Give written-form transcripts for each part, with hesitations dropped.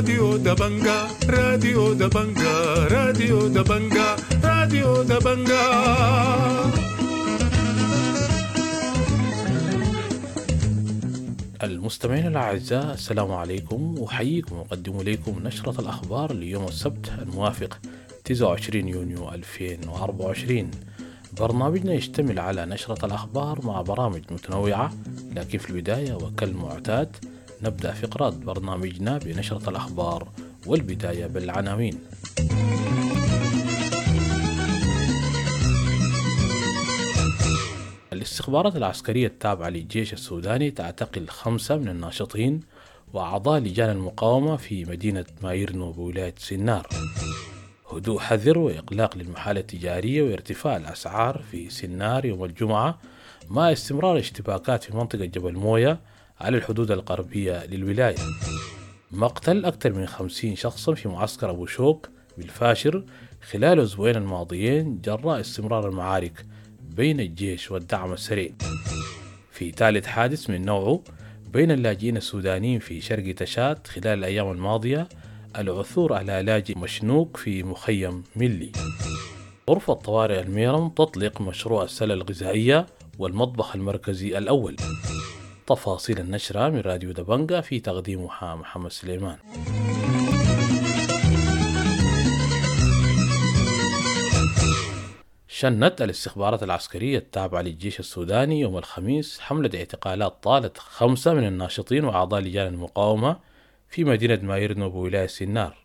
راديو دبنجا، راديو دبنجا، راديو دبنجا، راديو دبنجا. المستمعين الأعزاء، السلام عليكم، أحييكم وأقدم إليكم نشرة الأخبار ليوم السبت الموافق 29 يونيو 2024. برنامجنا يشتمل على نشرة الأخبار مع برامج متنوعة، لكن في البداية وكالمعتاد نبدأ فقرات برنامجنا بنشرة الأخبار، والبداية بالعناوين. الاستخبارات العسكرية التابعة للجيش السوداني تعتقل 5 من الناشطين وأعضاء لجان المقاومة في مدينة مايرنو بولاية سنار. هدوء حذر وإغلاق للمحال التجارية وارتفاع الأسعار في سنار يوم الجمعة مع استمرار اشتباكات في منطقة جبل موية على الحدود الغربية للولاية. مقتل أكثر من 50 شخصا في معسكر أبو شوك بالفاشر خلال الأسبوعين الماضيين جراء استمرار المعارك بين الجيش والدعم السريع. في ثالث حادث من نوعه بين اللاجئين السودانيين في شرق تشاد خلال الأيام الماضية، العثور على لاجئ مشنوق في مخيم ملي. غرفة طوارئ الميرم تطلق مشروع السلة الغذائية والمطبخ المركزي الأول. تفاصيل النشرة من راديو دبنجا في تقديمها محمد سليمان. شنت الاستخبارات العسكرية التابعة للجيش السوداني يوم الخميس حملة اعتقالات طالت 5 من الناشطين وأعضاء لجان المقاومة في مدينة مايرنو بولاية سنار.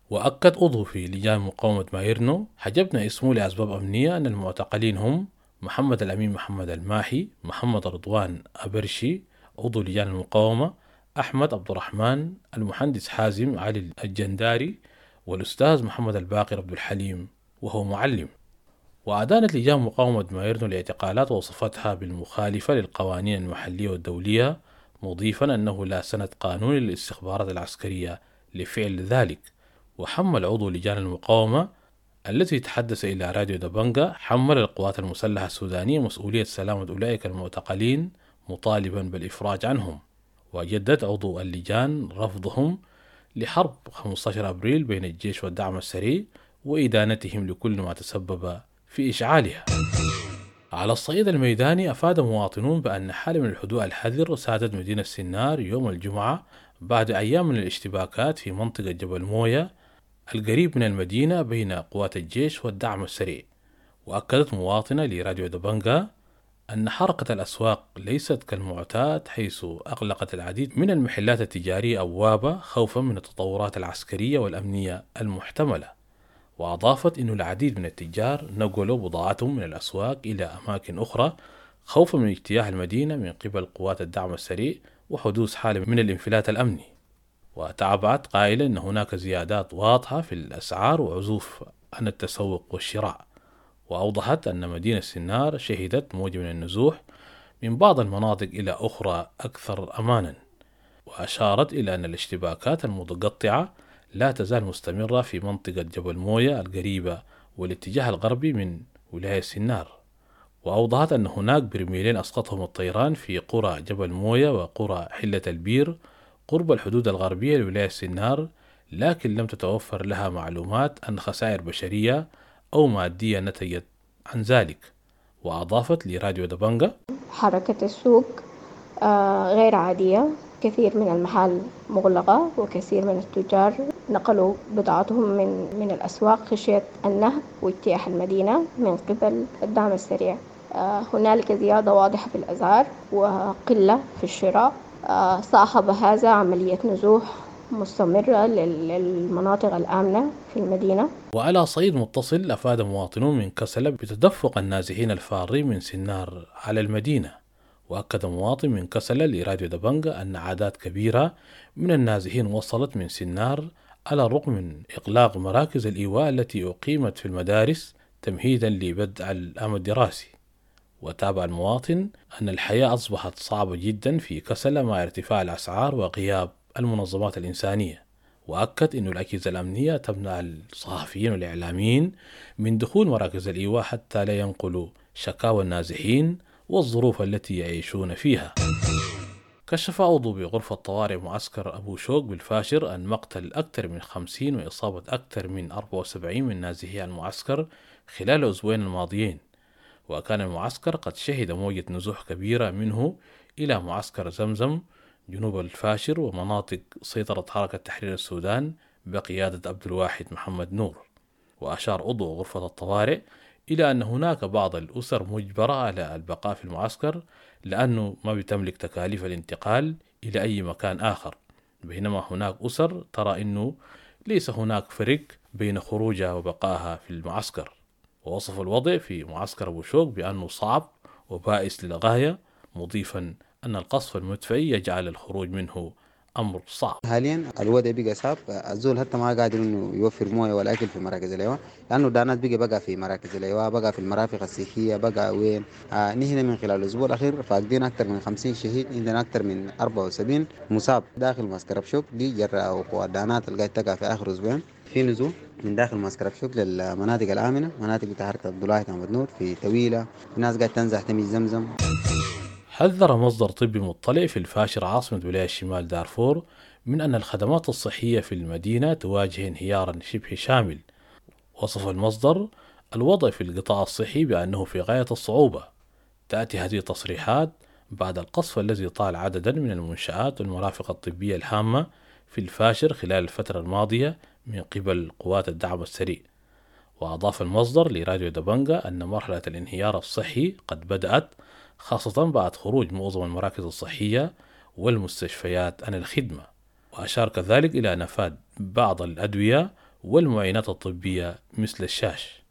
وأكد عضو في لجان مقاومة مايرنو حجبنا اسمه لأسباب أمنية أن المعتقلين هم محمد الأمين محمد الماحي، محمد رضوان أبرشي عضو لجان المقاومة، أحمد عبد الرحمن، المهندس حازم علي الجنداري، والأستاذ محمد الباقر عبد الحليم وهو معلم. وأدانت لجان مقاومة مايرنو الاعتقالات ووصفتها بالمخالفة للقوانين المحلية والدولية، مضيفا أنه لا سند قانوني للاستخبارات العسكرية لفعل ذلك. وحمل عضو لجان المقاومة التي تحدث إلى راديو دبنجا حمل القوات المسلحة السودانية مسؤولية سلامة أولئك المعتقلين مطالبا بالإفراج عنهم. وجدد عضو اللجان رفضهم لحرب 15 أبريل بين الجيش والدعم السريع وإدانتهم لكل ما تسبب في إشعالها. على الصعيد الميداني، أفاد مواطنون بأن حالة من الهدوء الحذر سادت مدينة سنار يوم الجمعة بعد أيام من الاشتباكات في منطقة جبل موية القريب من المدينة بين قوات الجيش والدعم السريع. وأكدت مواطنة لراديو دبنجا أن حركة الأسواق ليست كالمعتاد، حيث أغلقت العديد من المحلات التجارية أبوابها خوفا من التطورات العسكرية والأمنية المحتملة. وأضافت أن العديد من التجار نقلوا بضاعتهم من الأسواق إلى أماكن أخرى خوفا من اجتياح المدينة من قبل قوات الدعم السريع وحدوث حالة من الانفلات الأمني. وتابعت قائلة أن هناك زيادات واضحة في الأسعار وعزوف عن التسوق والشراء. وأوضحت أن مدينة سنار شهدت موجة من النزوح من بعض المناطق إلى أخرى أكثر أمانا. وأشارت إلى أن الاشتباكات المتقطعة لا تزال مستمرة في منطقة جبل موية القريبة والاتجاه الغربي من ولاية سنار. وأوضحت أن هناك برميلين أسقطهم الطيران في قرى جبل موية وقرى حلة البير قرب الحدود الغربية لولاية سنار، لكن لم تتوفر لها معلومات عن خسائر بشرية أو مادية نتجت عن ذلك. وأضافت لراديو دبنجا: حركة السوق غير عادية، كثير من المحال مغلقة وكثير من التجار نقلوا بضاعتهم من الأسواق خشية النهب واجتياح المدينة من قبل الدعم السريع. هنالك زيادة واضحة في الأسعار وقلة في الشراء. صاحب هذا عملية نزوح مستمرة للمناطق الآمنة في المدينة. وعلى صعيد متصل، أفاد مواطنون من كسلة بتدفق النازحين الفارين من سنار على المدينة. وأكد مواطن من كسلة لراديو دبنجا أن أعداد كبيرة من النازحين وصلت من سنار على الرغم من إغلاق مراكز الإيواء التي أقيمت في المدارس تمهيدا لبدء العام الدراسي. وتابع المواطن أن الحياة أصبحت صعبة جدا في كسلة مع ارتفاع الأسعار وغياب المنظمات الإنسانية. وأكد أن الأجهزة الأمنية تمنع الصحفيين والإعلاميين من دخول مراكز الإيواء حتى لا ينقلوا شكاوى النازحين والظروف التي يعيشون فيها. كشف عضو بغرفة طوارئ معسكر أبو شوك بالفاشر عن مقتل أكثر من 50 وإصابة أكثر من 74 من نازحي المعسكر خلال الأسبوعين الماضيين. وكان المعسكر قد شهد موجة نزوح كبيرة منه إلى معسكر زمزم جنوب الفاشر ومناطق سيطرة حركة تحرير السودان بقيادة عبد الواحد محمد نور. وأشار عضو غرفة الطوارئ إلى أن هناك بعض الأسر مجبرة على البقاء في المعسكر لأنه ما بتملك تكاليف الانتقال إلى أي مكان آخر، بينما هناك أسر ترى أنه ليس هناك فرق بين خروجها وبقائها في المعسكر. ووصف الوضع في معسكر أبو شوك بأنه صعب وبائس للغاية، مضيفا أن القصف المدفعي يجعل الخروج منه أمر صعب. حاليا الوضع بقى صعب، الزول حتى ما قادر انه يوفر مويه ولا اكل في مراكز الايواء، لانه دانات بقى في مراكز الايواء، بقى في المرافق الصحيه، بقى وين. نحن من خلال الاسبوع الاخير فاقدين اكثر من 50 شهيد، عندنا اكثر من 74 مصاب داخل معسكر أبشوك. دي جراء وقوع دانات اللي قاعد تقع في اخر اسبوعين. في نزول من داخل معسكر أبشوك للمناطق الامنه، مناطق بتاع حركه عبد الله محمد نور في تويله، في ناس قاعد تنزح تمشي زمزم. حذر مصدر طبي مطلع في الفاشر عاصمة ولاية شمال دارفور من أن الخدمات الصحية في المدينة تواجه انهيارا شبه شامل. وصف المصدر الوضع في القطاع الصحي بأنه في غاية الصعوبة. تأتي هذه التصريحات بعد القصف الذي طال عددا من المنشآت والمرافق الطبية الهامة في الفاشر خلال الفترة الماضية من قبل قوات الدعم السريع. وأضاف المصدر لراديو دبنجا أن مرحلة الانهيار الصحي قد بدأت، خاصة بعد خروج معظم المراكز الصحية والمستشفيات عن الخدمة. وأشار كذلك إلى نفاد بعض الأدوية والمعينات الطبية مثل الشاش.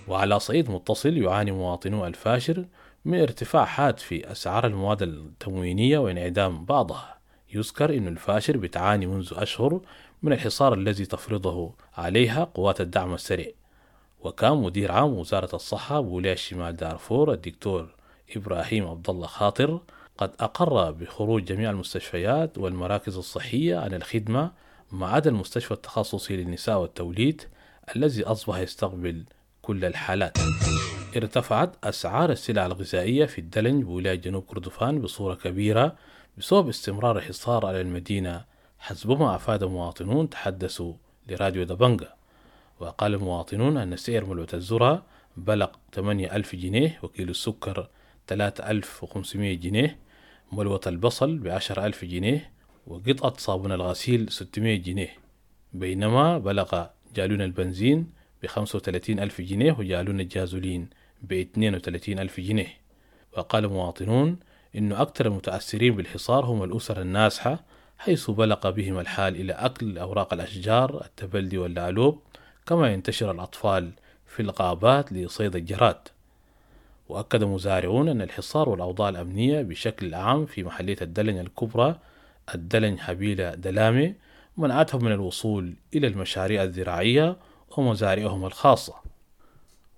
وعلى صعيد متصل يعاني مواطنو الفاشر من ارتفاع حاد في أسعار المواد التموينية وانعدام بعضها. يذكر أن الفاشر بتعاني منذ أشهر من الحصار الذي تفرضه عليها قوات الدعم السريع. وكان مدير عام وزارة الصحة بولاية شمال دارفور الدكتور إبراهيم عبد الله خاطر قد أقر بخروج جميع المستشفيات والمراكز الصحية عن الخدمة ما عدا المستشفى التخصصي للنساء والتوليد الذي أصبح يستقبل كل الحالات. ارتفعت أسعار السلع الغذائية في الدلنج بولاية جنوب كردفان بصورة كبيرة بسبب استمرار الحصار على المدينة، حسب ما أفاد مواطنون تحدثوا لراديو دبنجا. وقال المواطنون أن سعر ملوة الذرة بلغ 8000 جنيه، وكيلو السكر 3500 جنيه، ملوة البصل ب10,000 جنيه، وقطعة صابون الغسيل 600 جنيه، بينما بلغ جالون البنزين ب35,000 جنيه وجالون الجازولين ب32,000 جنيه. وقال مواطنون إن أكثر المتأثرين بالحصار هم الأسر النازحة، حيث بلغ بهم الحال إلى أكل أوراق الأشجار التبلدي واللالوب، كما ينتشر الأطفال في الغابات لصيد الجراد. وأكد مزارعون أن الحصار والأوضاع الأمنية بشكل عام في محلية الدلنج الكبرى الدلنج حبيلة دلامي منعتهم من الوصول إلى المشاريع الزراعية ومزارعهم الخاصة.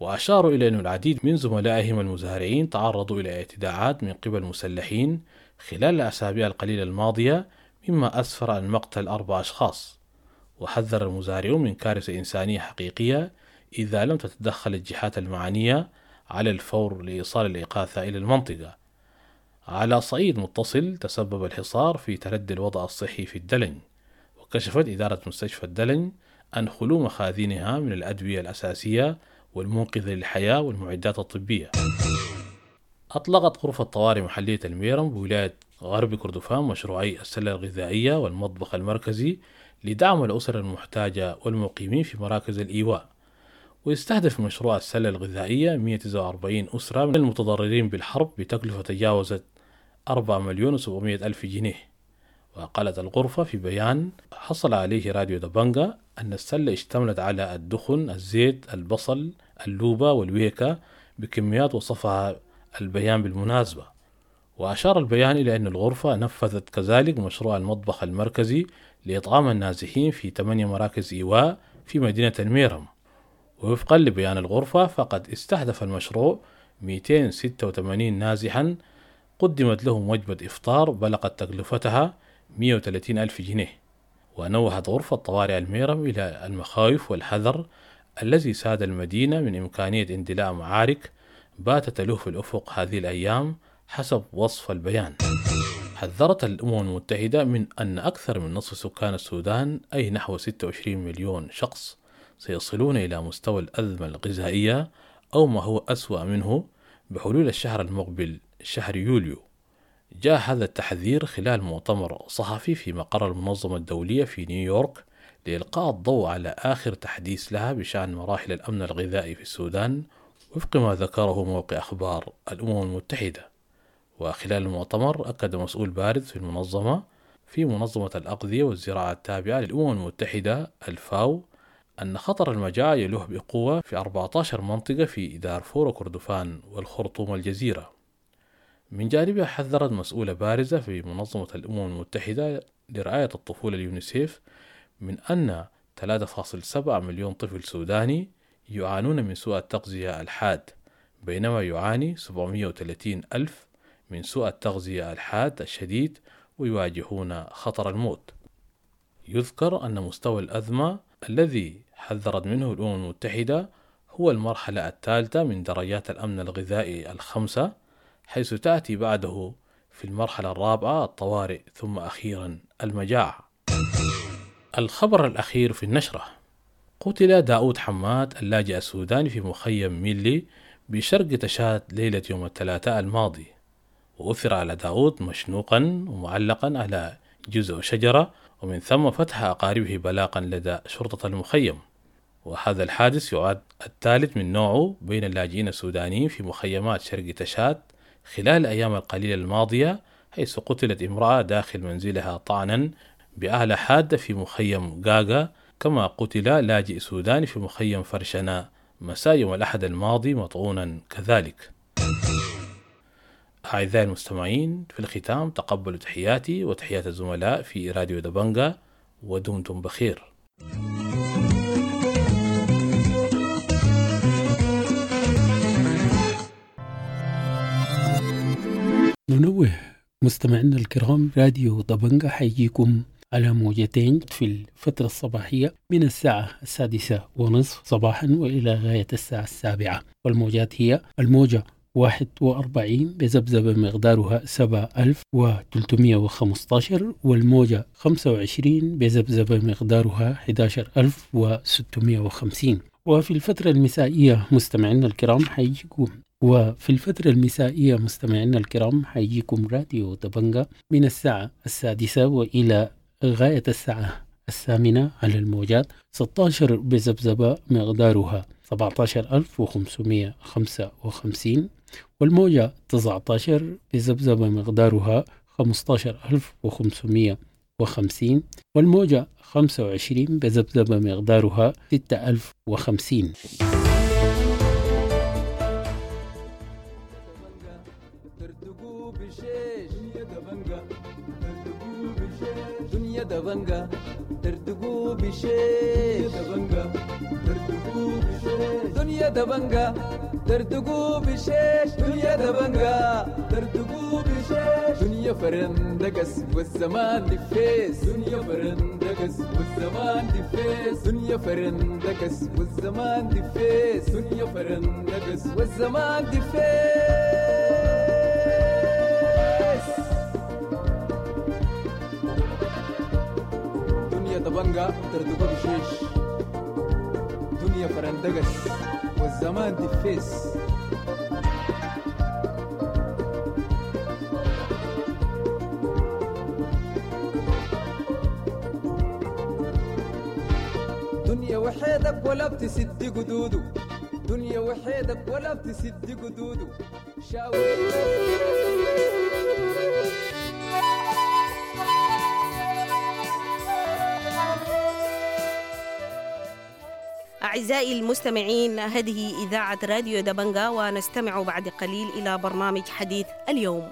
وأشاروا إلى أن العديد من زملائهم المزارعين تعرضوا إلى اعتداءات من قبل مسلحين خلال الأسابيع القليلة الماضية، مما أسفر عن مقتل 4 أشخاص. وحذر المزارعون من كارثة إنسانية حقيقية إذا لم تتدخل الجهات المعنية على الفور لإيصال الإغاثة إلى المنطقة. على صعيد متصل تسبب الحصار في تردي الوضع الصحي في الدلنج، وكشفت إدارة مستشفى الدلنج عن خلو مخازنها من الأدوية الأساسية والمنقذة للحياة والمعدات الطبية. أطلقت غرفة طوارئ محلية الميرم بولاية غرب كردفان مشروعي السلة الغذائية والمطبخ المركزي لدعم الأسر المحتاجة والمقيمين في مراكز الإيواء. ويستهدف مشروع السلة الغذائية 149 أسرة من المتضررين بالحرب بتكلفة تجاوزت 4,700,000 جنيه. وقالت الغرفة في بيان حصل عليه راديو دبنجا أن السلة اشتملت على الدخن، الزيت، البصل، اللوبة والويكا بكميات وصفها البيان بالمناسبة. وأشار البيان إلى أن الغرفة نفذت كذلك مشروع المطبخ المركزي لإطعام النازحين في 8 مراكز إيواء في مدينة الميرم. ووفقا لبيان الغرفة فقد استهدف المشروع 286 نازحا قدمت لهم وجبة إفطار بلغت تكلفتها 130,000 جنيه. ونوهت غرفة طوارئ الميرم إلى المخاوف والحذر الذي ساد المدينة من إمكانية اندلاع معارك باتت تلوح في الأفق هذه الأيام حسب وصف البيان. حذرت الأمم المتحدة من أن أكثر من نصف سكان السودان، أي نحو 26 مليون شخص، سيصلون إلى مستوى الأزمة الغذائية أو ما هو أسوأ منه بحلول الشهر المقبل شهر يوليو. جاء هذا التحذير خلال مؤتمر صحفي في مقر المنظمة الدولية في نيويورك لإلقاء الضوء على آخر تحديث لها بشأن مراحل الأمن الغذائي في السودان، وفق ما ذكره موقع أخبار الأمم المتحدة. وخلال المؤتمر أكد مسؤول بارز في المنظمة في منظمة الأغذية والزراعة التابعة للأمم المتحدة الفاو أن خطر المجاعة يلوح بقوة في 14 منطقة في دارفور وكردفان والخرطوم والجزيرة. من جانبها حذرت مسؤولة بارزة في منظمة الأمم المتحدة لرعاية الطفولة اليونيسيف من أن 3.7 مليون طفل سوداني يعانون من سوء التغذية الحاد، بينما يعاني 730 ألف من سوء التغذية الحاد الشديد ويواجهون خطر الموت. يذكر أن مستوى الأزمة الذي حذرت منه الأمم المتحدة هو المرحلة الثالثة من درجات الأمن الغذائي الخمسة، حيث تأتي بعده في المرحلة الرابعة الطوارئ، ثم أخيرا المجاعة. الخبر الأخير في النشرة: قتل داود حماد اللاجئ السوداني في مخيم ميلي بشرق تشاد ليلة يوم الثلاثاء الماضي. وأثر على داود مشنوقا ومعلقا على جزء شجرة، ومن ثم فتح أقاربه بلاغا لدى شرطة المخيم. وهذا الحادث يعد الثالث من نوعه بين اللاجئين السودانيين في مخيمات شرق تشاد خلال الأيام القليلة الماضية، حيث قتلت امرأة داخل منزلها طعنا بآلة حادة في مخيم غاغا، كما قتل لاجئ سوداني في مخيم فرشنا مساء يوم الأحد الماضي مطعونا كذلك. أعزائي المستمعين، في الختام تقبلوا تحياتي وتحيات الزملاء في راديو دبنجا، ودمتم بخير. ننوه مستمعينا الكرام، راديو دبنجا حيجيكم على موجتين في الفترة الصباحية من الساعة 6:30 صباحا وإلى غاية الساعة 7، والموجات هي الموجة 41 بذبذبة مقدارها 7315، والموجة 25 بذبذبة مقدارها 11650. وفي الفترة المسائية مستمعينا الكرام حيجيكم راديو دبنجا من الساعة 6 وإلى غاية الساعة 8 على الموجات 16 بذبذبة مقدارها 17555، والموجة 19 بذبذبة مقدارها 15550، والموجة 25 بذبذبة مقدارها 6050. دبنجا تردقوا بشيش، دنيا دبنجا تردقوا بشيش، دنيا دبنجا تردقوا بشيش، دنيا فرندقس والزمان دفيس، دنيا فرندقس والزمان دفيس، دنيا فرندقس والزمان دفيس، دنيا فرندقس والزمان دفيس. دبنجا تردقوا بشيش، دنيا فرندقس والزمان دفيس. دنيا وحيدك ولا بتسد قدوده، دنيا وحيدك ولا بتسد قدوده. أعزائي المستمعين، هذه إذاعة راديو دبنجا، ونستمع بعد قليل إلى برنامج حديث اليوم.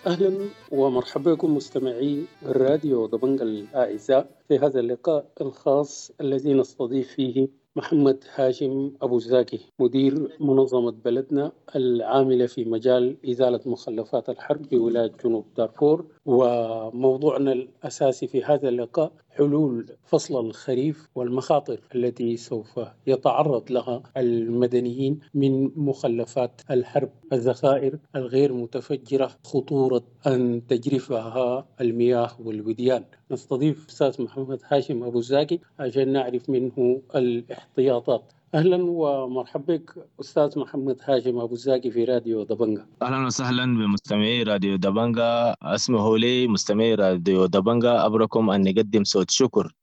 أهلا ومرحبا بكم مستمعي الراديو دبنجا الأعزاء في هذا اللقاء الخاص الذي نستضيف فيه محمد هاشم أبو الزاكي، مدير منظمة بلدنا العاملة في مجال إزالة مخلفات الحرب بولاية جنوب دارفور. وموضوعنا الأساسي في هذا اللقاء حلول فصل الخريف والمخاطر التي سوف يتعرض لها المدنيين من مخلفات الحرب، الذخائر الغير متفجرة، خطورة أن تجرفها المياه والوديان. نستضيف أستاذ محمد هاشم أبو الزاكي عشان نعرف منه الاحتياطات. أهلا ومرحبا بك أستاذ محمد هاشم أبو الزاكي في راديو دبنجا. أهلا وسهلا بمستمعي راديو دبنجا. اسمحوا لي مستمعي راديو دبنجا أبركم أن نقدم صوت شكر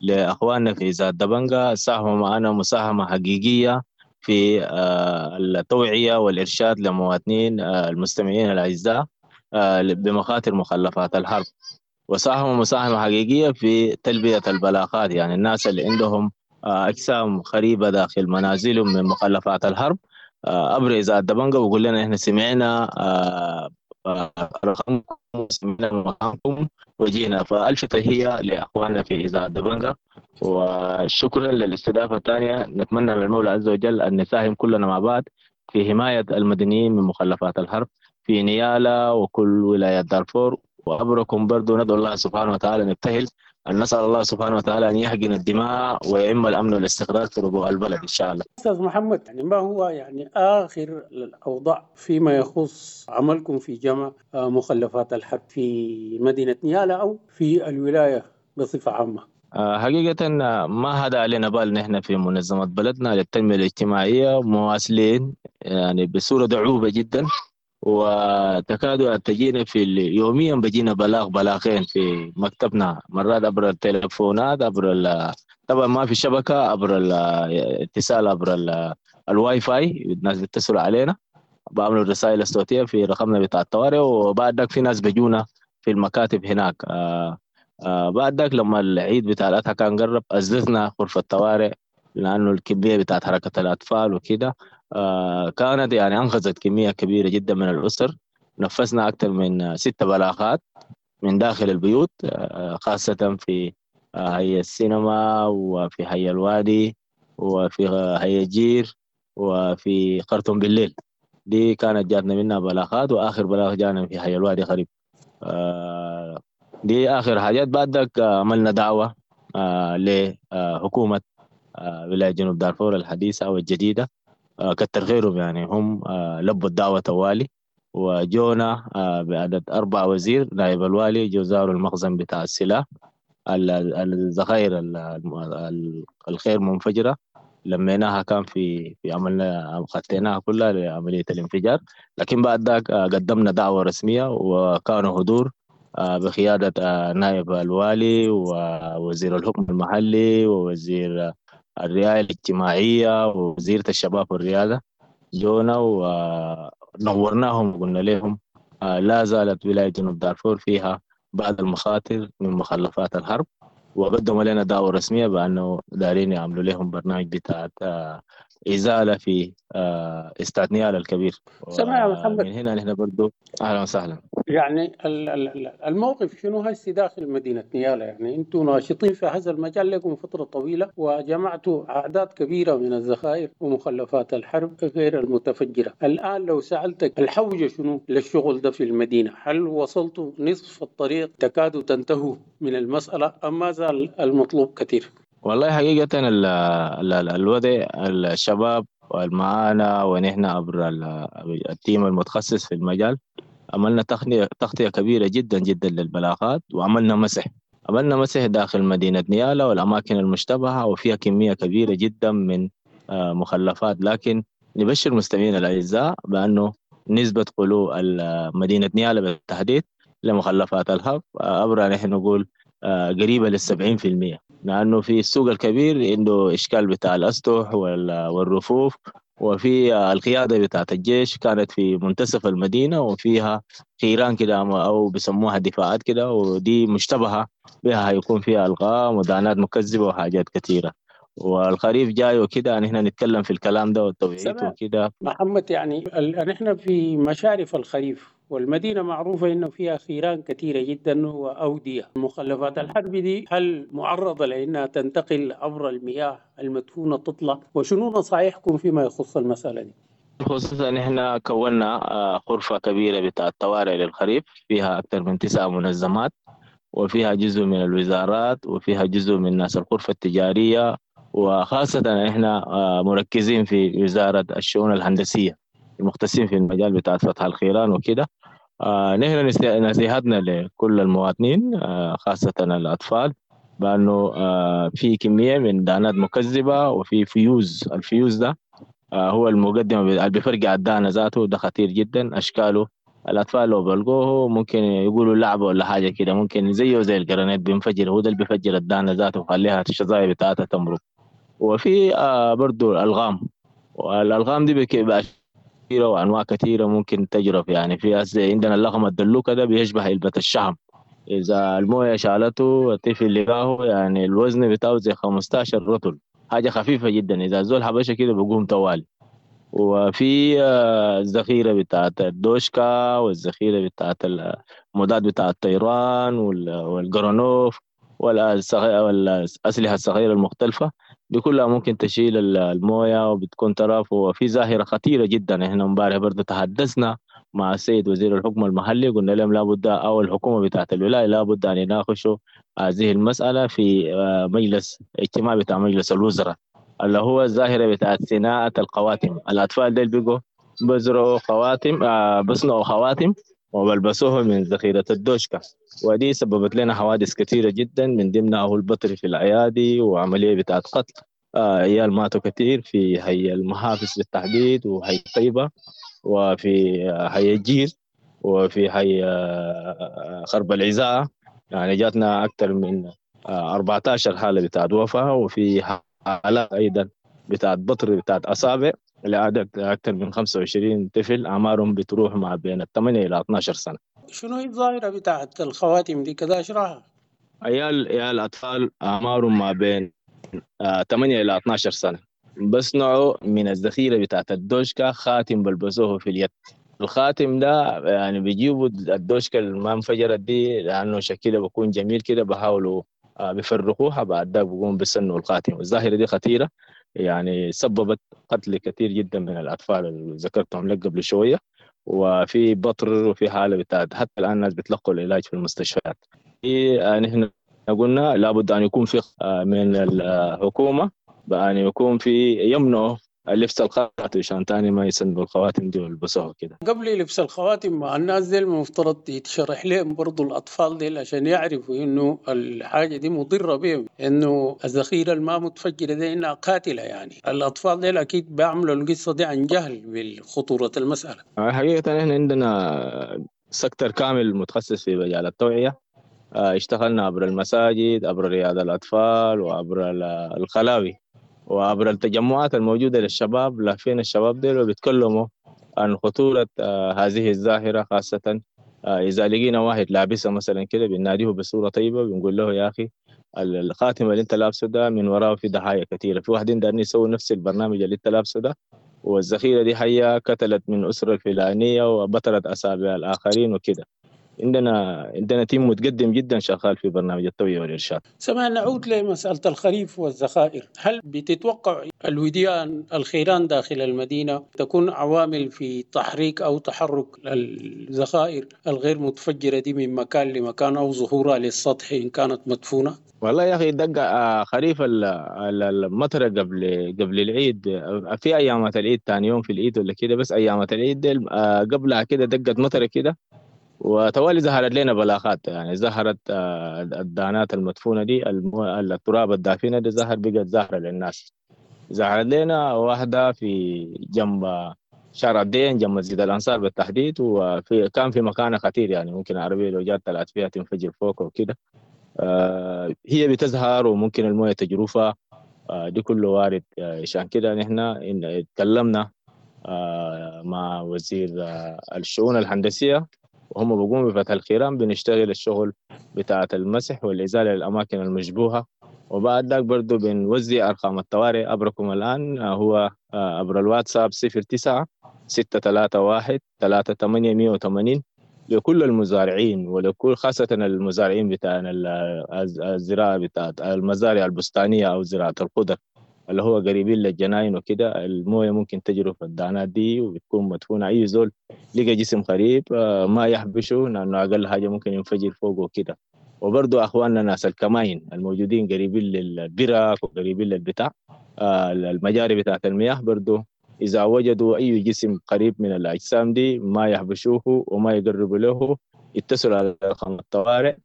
لأخواننا في إذاعة دبنجا، ساهموا معنا مساهمة حقيقية في التوعية والإرشاد للمواطنين المستمعين الأعزاء بمخاطر مخلفات الحرب، وساهموا مساهمة حقيقية في تلبية البلاغات. يعني الناس اللي عندهم أجسام خريبة داخل منازلهم من مخلفات الحرب أبرز إذاعة دبنجا ويقول لنا إحنا سمعنا رقمكم وسمعنا مقامكم وجينا. فألف تحية لأخواننا في إذاعة دبنجا وشكرا للاستضافة الثانية. نتمنى من المولى عز وجل أن نساهم كلنا مع بعض في حماية المدنيين من مخلفات الحرب في نيالا وكل ولايات دارفور. وأبركم برضو ندعو الله سبحانه وتعالى، نبتهل أن نسأل الله سبحانه وتعالى أن يحقن الدماء ويعم الأمن والاستقرار في ربوع البلد إن شاء الله. أستاذ محمد، يعني ما هو يعني آخر الأوضاع فيما يخص عملكم في جمع مخلفات الحرب في مدينة نيالا أو في الولاية بصفة عامة؟ حقيقة ما هذا علينا بال. نحن في منظمة بلدنا للتنمية الاجتماعية مواصلين يعني بصورة دعوبة جدا، وتكاد تجينا في يوميا بجينا بلاغ بلاغين في مكتبنا، مرات عبر التليفونات، عبر طبعا ما في شبكة، عبر الاتصال عبر الواي فاي، الناس بيتصلوا علينا بعملوا الرسائل الصوتية في رقمنا بتاع الطوارئ، وبعد ذاك في ناس بيجونا في المكاتب هناك. بعد ذاك لما العيد بتاع الأضحى كان قرب أزلنا غرفة الطوارئ لأنه الكمية بتاعت حركة الأطفال وكده كانت يعني أنقذت كمية كبيرة جدا من الأسر. نفذنا أكثر من 6 بلاغات من داخل البيوت، خاصة في حي السينما وفي حي الوادي وفي حي الجير وفي خرطوم بالليل. دي كانت جاتنا منها بلاغات، وآخر بلاغ جانا في حي الوادي غريب. دي آخر حاجات. بعد ذاك عملنا دعوة لحكومة ولاية جنوب دارفور الحديثة أو الجديدة، كتر خيرهم يعني هم لبوا الدعوة توالي وجونا بعدد 4 وزير، نائب الوالي جو زاروا المخزن بتاع السلاح، الذخائر الخير منفجرة لميناها، كان في عملنا خطيناها كلها لعملية الانفجار. لكن بعد ذاك قدمنا دعوة رسمية وكانوا حضور بقيادة نائب الوالي ووزير الحكم المحلي ووزير الرعاية الاجتماعية ووزيرة الشباب والرياضة، جونا ونورناهم وقلنا لهم لا زالت ولاية جنوب دارفور فيها بعض المخاطر من مخلفات الحرب، وقدموا لنا دعوة رسمية بأنه دارين يعملوا لهم برنامج بتاع إزالة في استاد نيالا الكبير. سمع يا محمد، من هنا نحن برضو أهلا وسهلا. يعني الموقف شنو هسي داخل مدينة نيالا؟ يعني أنتم ناشطين في هذا المجال لكم فترة طويلة وجمعتوا أعداد كبيرة من الذخائر ومخلفات الحرب غير المتفجرة. الآن لو سألتك الحوجة شنو للشغل ده في المدينة، هل وصلتوا نصف الطريق تكادوا تنتهوا من المسألة أم ما زال المطلوب كثير؟ والله حقيقة الوضع الشباب والمعانا ونحن عبر التيم المتخصص في المجال عملنا تغطية كبيرة جدا جدا للبلاغات، وعملنا مسح داخل مدينة نيالا والأماكن المشتبهة وفيها كمية كبيرة جدا من مخلفات. لكن نبشر مستمعينا الأعزاء بأنه نسبة خلو مدينة نيالا بالتحديد لمخلفات الحرب عبر نحن نقول قريبة لل70%، لأنه في السوق الكبير عنده إشكال بتاع الأسطح والرفوف، وفي القيادة بتاعت الجيش كانت في منتصف المدينة وفيها خيران كده أو بيسموها دفاعات كده، ودي مشتبهة بها هيكون فيها ألغام ودانات مكذبة وحاجات كثيرة، والخريف جاي وكده. نحن نتكلم في الكلام ده والتوعية وكده. محمد، يعني نحن في مشارف الخريف والمدينة معروفة إنه فيها خيران كثيرة جدا وأودية. مخلفات الحرب دي هل معرضة لأنها تنتقل عبر المياه المدفونة تطلع؟ وشنو نصائحكم فيما يخص المسألة دي؟ خصوصا احنا كونا غرفة كبيرة بتاع الطوارئ للخريف، فيها أكثر من 9 منظمات، وفيها جزء من الوزارات، وفيها جزء من ناس الغرفة التجارية، وخاصة احنا مركزين في وزارة الشؤون الهندسية المختصين في المجال بتاع فتح الخيران وكده. نحن نصيحتنا لكل المواطنين خاصة الأطفال بأنه في كمية من دانات مكذبة وفي فيوز. الفيوز ده هو المقدمة اللي بيفرقع الدانة ذاته، ده خطير جدا. أشكاله الأطفال لو بلقوه ممكن يقولوا لعبة ولا حاجة كده، ممكن زيه زي الجرانيت بينفجر، هو ده اللي بيفجر الدانة ذاته وخليها الشظايا بتاعتها تمرق. وفي برضو الألغام، والألغام دي بقى كثيرة وأنواع كثيرة ممكن تجرف. يعني في عندنا اللغم الدلوكة ده بيشبه علبة الشحم، إذا الموية شالته الطفل لقاه يعني الوزن بتاعه زي 15 رطل، حاجة خفيفة جدا، إذا زول حبشة كده بقوم طوالي. وفي الذخيرة بتاعت الدوشكا، والذخيرة بتاعت المضاد بتاع الطيران، والجرانوف، والأسلحة الصغيرة المختلفة دي كلها ممكن تشيل الموية وبتكون طرف. وفي ظاهرة خطيرة جدا، احنا امبارح برضو تحدثنا مع السيد وزير الحكم المحلي، قلنا لهم لابد، أو الحكومة بتاعت الولاية لابد أن يناقشوا هذه المسألة في مجلس اجتماع بتاع مجلس الوزراء، اللي هو الظاهرة بتاعت صناعة القواتم. الأطفال ديل بيجوا بزرعوا خواتم، بصنعوا خواتم وبلبسوه من ذخيرة الدوشكا، ودي سببت لنا حوادث كثيرة جدا، من ضمنها هو البطر في الأيادي وعملية بتاعت قتل عيال ماتوا كثير في حي المحافظ بالتحديد، وحي طيبة، وفي حي الجير، وفي حي خرب العزاء. يعني جاتنا أكثر من 14 حالة بتاعت وفاة، وفي حالات أيضا بتاعت بطر بتاعت أصابع لعدد أكثر من 25 طفل أعمارهم بتروح مع بين 8 إلى 12 سنة. شنو هي الظاهرة بتاعت الخواتم دي كذا اشرحها؟ عيال أطفال أعمارهم ما بين 8 إلى 12 سنة بصنعوا من الذخيرة بتاعت الدوشكا خاتم بلبسوه في اليد. الخاتم ده يعني بيجيبوا الدوشكا اللي ما انفجرت دي لأنه شكلها بيكون جميل كده، بحاولوا بيفرقوها، بعد ده بيقوم بيسنوا الخاتم. الظاهرة دي خطيرة، يعني سببت قتل كثير جدا من الأطفال اللي ذكرتهم لك قبل شوية، وفي بطر، وفي حالة بتاعت حتى الآن الناس بتلقوا العلاج في المستشفيات. نحن قلنا لابد أن يكون في من الحكومة بأن يكون في يمنعوا لبس الخواتم عشان تاني ما يسندوا الخواتم دي ويلبسوها كده. قبل لبس الخواتم مع الناس دي المفترض يتشرح لهم برضو الأطفال دي عشان يعرفوا إنه الحاجة دي مضرة بهم، إنه الذخيرة الما متفجرة دي إنها قاتلة. يعني الأطفال دي أكيد بيعملوا القصة دي عن جهل بالخطورة المسألة. حقيقة إحنا عندنا سكتر كامل متخصص في مجال التوعية، اشتغلنا عبر المساجد، عبر رياض الأطفال، وعبر الخلاوي، وعبر التجمعات الموجودة للشباب. لافين الشباب ديل وبيتكلموا عن خطورة هذه الظاهرة، خاصة إذا لقينا واحد لابسه مثلا كده بنناديه بصورة طيبة، بنقول له يا أخي الخاتم اللي أنت لابسه ده من وراه في ضحايا كثيرة، في واحدين دارين يسووا نفس البرنامج اللي أنت لابسه ده، والذخيرة دي حية قتلت من أسرة الفلانية وبترت أصابع الآخرين وكده. عندنا team متقدم جدا شغال في برنامج التوعية والإرشاد. سمعنا نعود لمسألة الخريف والذخائر، هل بتتوقع الوديان الخيران داخل المدينة تكون عوامل في تحريك أو تحرك الذخائر الغير متفجرة دي من مكان لمكان أو ظهورها للسطح إن كانت مدفونة؟ والله يا أخي دق خريف المطر قبل العيد، في أيامات العيد ثاني يوم في العيد ولا كده، بس أيامات العيد قبلها كده دقت مطر كده وتوالي ظهرت لنا بلاغات. يعني ظهرت الدانات المدفونة دي، التراب الدافنة دي ظهر، بقت ظاهرة للناس. ظهرت لنا واحدة في جنب شارع الدين جنب مسجد الأنصار بالتحديد، وفي كان في مكان خطير، يعني ممكن عربية لو جات طلعت فيها تنفجر فوق وكده. هي بتظهر وممكن الموية تجرفها، دي كله وارد. عشان كده نحن اتكلمنا مع وزير الشؤون الهندسية وهم بيقوموا بفتح الخيران، بنشتغل الشغل بتاعة المسح والإزالة للأماكن المشبوهة، وبعد ذاك برضو بنوزع أرقام الطوارئ عبركم الآن، هو عبر الواتساب 09 631 38 180. لكل المزارعين ولكل خاصة المزارعين بتاع الزراعة بتاعت المزارع البستانية أو زراعة الخضر اللي هو قريبين للجناين وكده. الموية ممكن تجرف الدانات دي وبتكون مدفونة، أي زول لقى جسم غريب ما يحبشه لأنه أقل حاجة ممكن ينفجر فوقه وكده. وبرضو أخواننا ناس الكماين الموجودين قريبين للبرك وقريبين للبتاع المجاري بتاعت المياه، برضو إذا وجدوا أي جسم قريب من الأجسام دي ما يحبشوه وما يقربوا له، يتصلوا على رقم الطوارئ.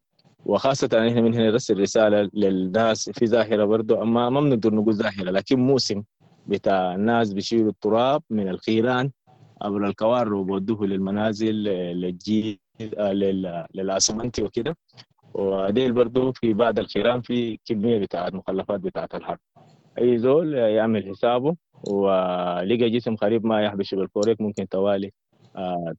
وخاصة إحنا من هنا نرسل رسالة للناس في ظاهرة برضو، أما ما بنقدر نقول ظاهرة لكن موسم بتاع الناس بيشيلوا التراب من الخيران قبل الكوار وبودوه للمنازل للجيل للأسمنتي وكده. وديل برضو في بعض الخيران في كمية بتاعت مخلفات بتاعت الحرب، أي زول يعمل حسابه ولقى جسم قريب ما يحبش بالكوريك ممكن توالي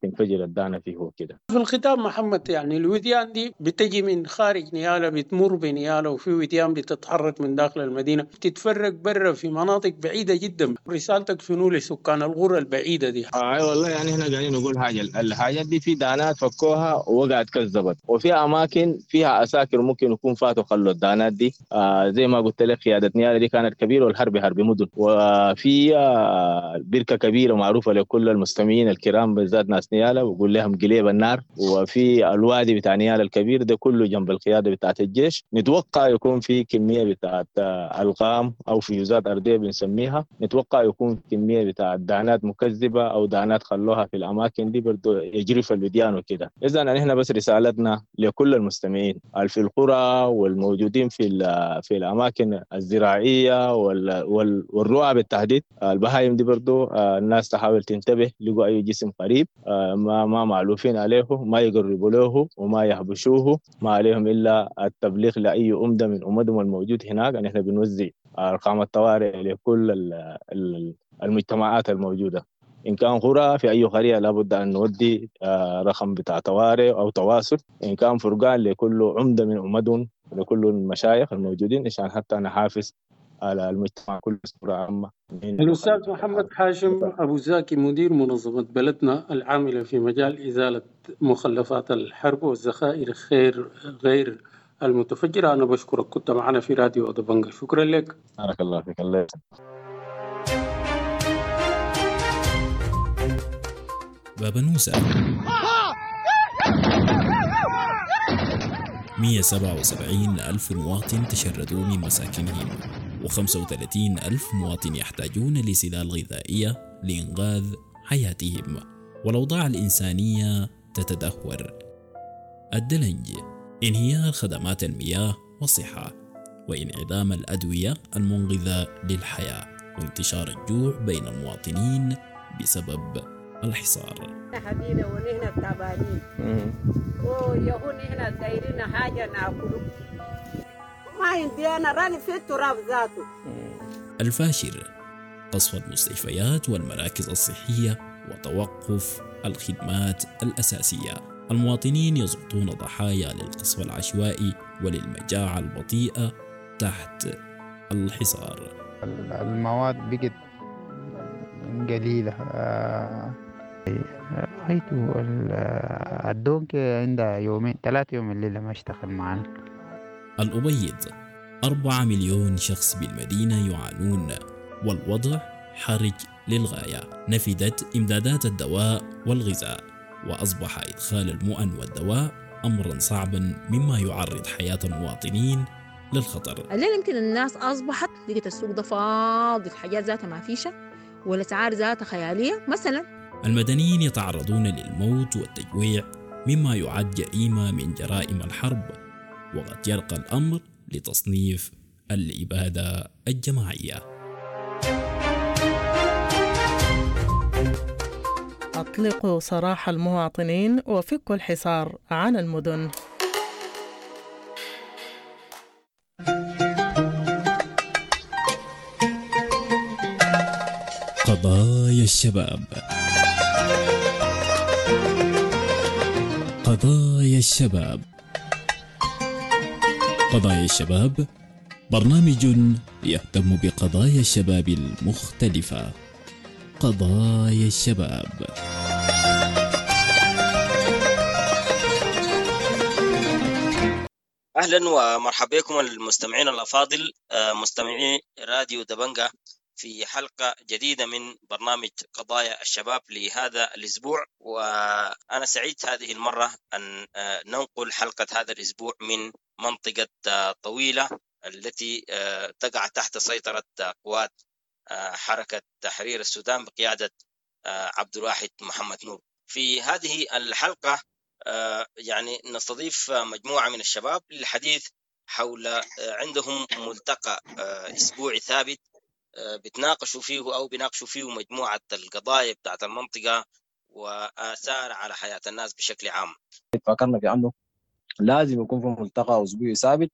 تنفجر الدانة فيه وكده. في الختام محمد، يعني الوديان دي بتجي من خارج نيالا، بتمر بنيالا، وفي وديان بتتحرك من داخل المدينة، بتتفرق برا في مناطق بعيدة جدا. رسالتك شنو لسكان القرى البعيدة دي؟ اي والله يعني احنا قاعدين نقول حاجة، الحاجات دي في دانات فكوها ووقعت كذبت، وفي أماكن فيها أساكر ممكن يكون فاتوا خلوا الدانات دي. زي ما قلت لك قيادة نيالا دي كانت كبيرة والحرب حرب مدن، وفي بركة كبيرة معروفة لكل المستمعين الكرام بالذات ناس نيالا وقول لهم قليب النار، وفي الوادي بتاع نيالا الكبير ده كله جنب القيادة بتاعت الجيش. نتوقع يكون في كمية بتاعت ألغام أو فيوزات أرضية بنسميها، نتوقع يكون كمية بتاعت دانات مكذبة أو دانات خلوها في الأماكن دي برضو يجري في الوديان وكده. إذا نحن بس رسالتنا لكل المستمعين في القرى والموجودين في الأماكن الزراعية والرعى بالتحديد، البهايم دي برضو الناس تحاول تنتبه، لقوا أي جسم قريب ما معلوفين عليه ما يقربوا له وما يحبشوه، ما عليهم إلا التبليغ لأي أمدة من أمدهم الموجود هناك. نحن بنوزع أرقام الطوارئ لكل المجتمعات الموجودة، إن كان قرى في أي قرية لابد أن نودي رقم بتاع طوارئ أو تواصل، إن كان فرقان لكل عمدة من أمدهم لكل المشايخ الموجودين عشان حتى نحافظ على المجتمع كله بصورة عامة. الأستاذ محمد حاشم أبو زاكي، مدير منظمة بلدنا العاملة في مجال إزالة مخلفات الحرب والذخائر غير المتفجرة، أنا بشكرك، كنت معنا في راديو أدبنجا، شكرا لك. بارك الله فيك. الله يسلمك. بابنوسة 177 ألف مواطن تشردوا من مساكنهم، و35 ألف مواطن يحتاجون لسلال غذائية لإنقاذ حياتهم، والأوضاع الإنسانية تتدهور. الدلنج، انهيار خدمات المياه والصحة، وانعدام الأدوية المنقذة للحياة، وانتشار الجوع بين المواطنين بسبب الحصار. حبينا ونحن تعبانين ويهون احنا دايرين حاجة ناكله، ما عندي أنا راني في التراب ذاته. الفاشر، قصف المستشفيات والمراكز الصحية وتوقف الخدمات الأساسية. المواطنين يسقطون ضحايا للقصف العشوائي وللمجاعة البطيئة تحت الحصار. المواد بقت قليلة، رأيته الدونك عندها يومين 3 يوم الليلة ما اشتغل معنا. الأبيض، 4 مليون شخص بالمدينة يعانون والوضع حرج للغاية. نفدت إمدادات الدواء والغذاء، وأصبح إدخال المؤن والدواء أمرا صعبا مما يعرض حياة المواطنين للخطر. الليلة يمكن الناس أصبحت لقيت السوق ده فاضي، الحاجات ذاتها ما فيشة والأسعار ذاتها خيالية مثلا. المدنيين يتعرضون للموت والتجويع مما يعد جريمة من جرائم الحرب، وقد يرقى الأمر لتصنيف الإبادة الجماعية. أطلقوا سراح المواطنين وفكوا الحصار عن المدن. قضايا الشباب، قضايا الشباب، قضايا الشباب برنامج يهتم بقضايا الشباب المختلفة. قضايا الشباب. أهلا ومرحبا بكم المستمعين الأفاضل، مستمعي راديو دبنجة، في حلقة جديدة من برنامج قضايا الشباب لهذا الأسبوع. وأنا سعيد هذه المرة أن ننقل حلقة هذا الأسبوع من منطقة طويلة التي تقع تحت سيطرة قوات حركة تحرير السودان بقيادة عبد الواحد محمد نور. في هذه الحلقة يعني نستضيف مجموعة من الشباب للحديث حول عندهم ملتقى أسبوعي ثابت بتناقشوا فيه أو بيناقشوا فيه مجموعة القضايا بتاعت المنطقة وآثار على حياة الناس بشكل عام. فكرنا في أنه لازم يكون في ملتقى أسبوعي ثابت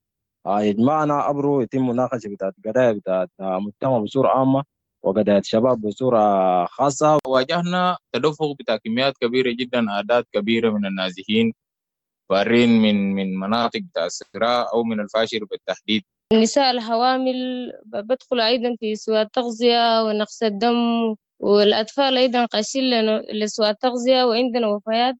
يجمعنا أبرو يتم مناقشة بتاعت قضايا بتاعت مجتمع بصورة عامة وقضايا الشباب بصورة خاصة. واجهنا تدفق بتاع كميات كبيرة جدا، أعداد كبيرة من النازحين فارين من مناطق بتاع الصراع أو من الفاشر بالتحديد. النساء الحوامل بدخل أيضا في سوء التغذية ونقص الدم، والأطفال أيضا قاشين لسوء التغذية، وعندنا وفيات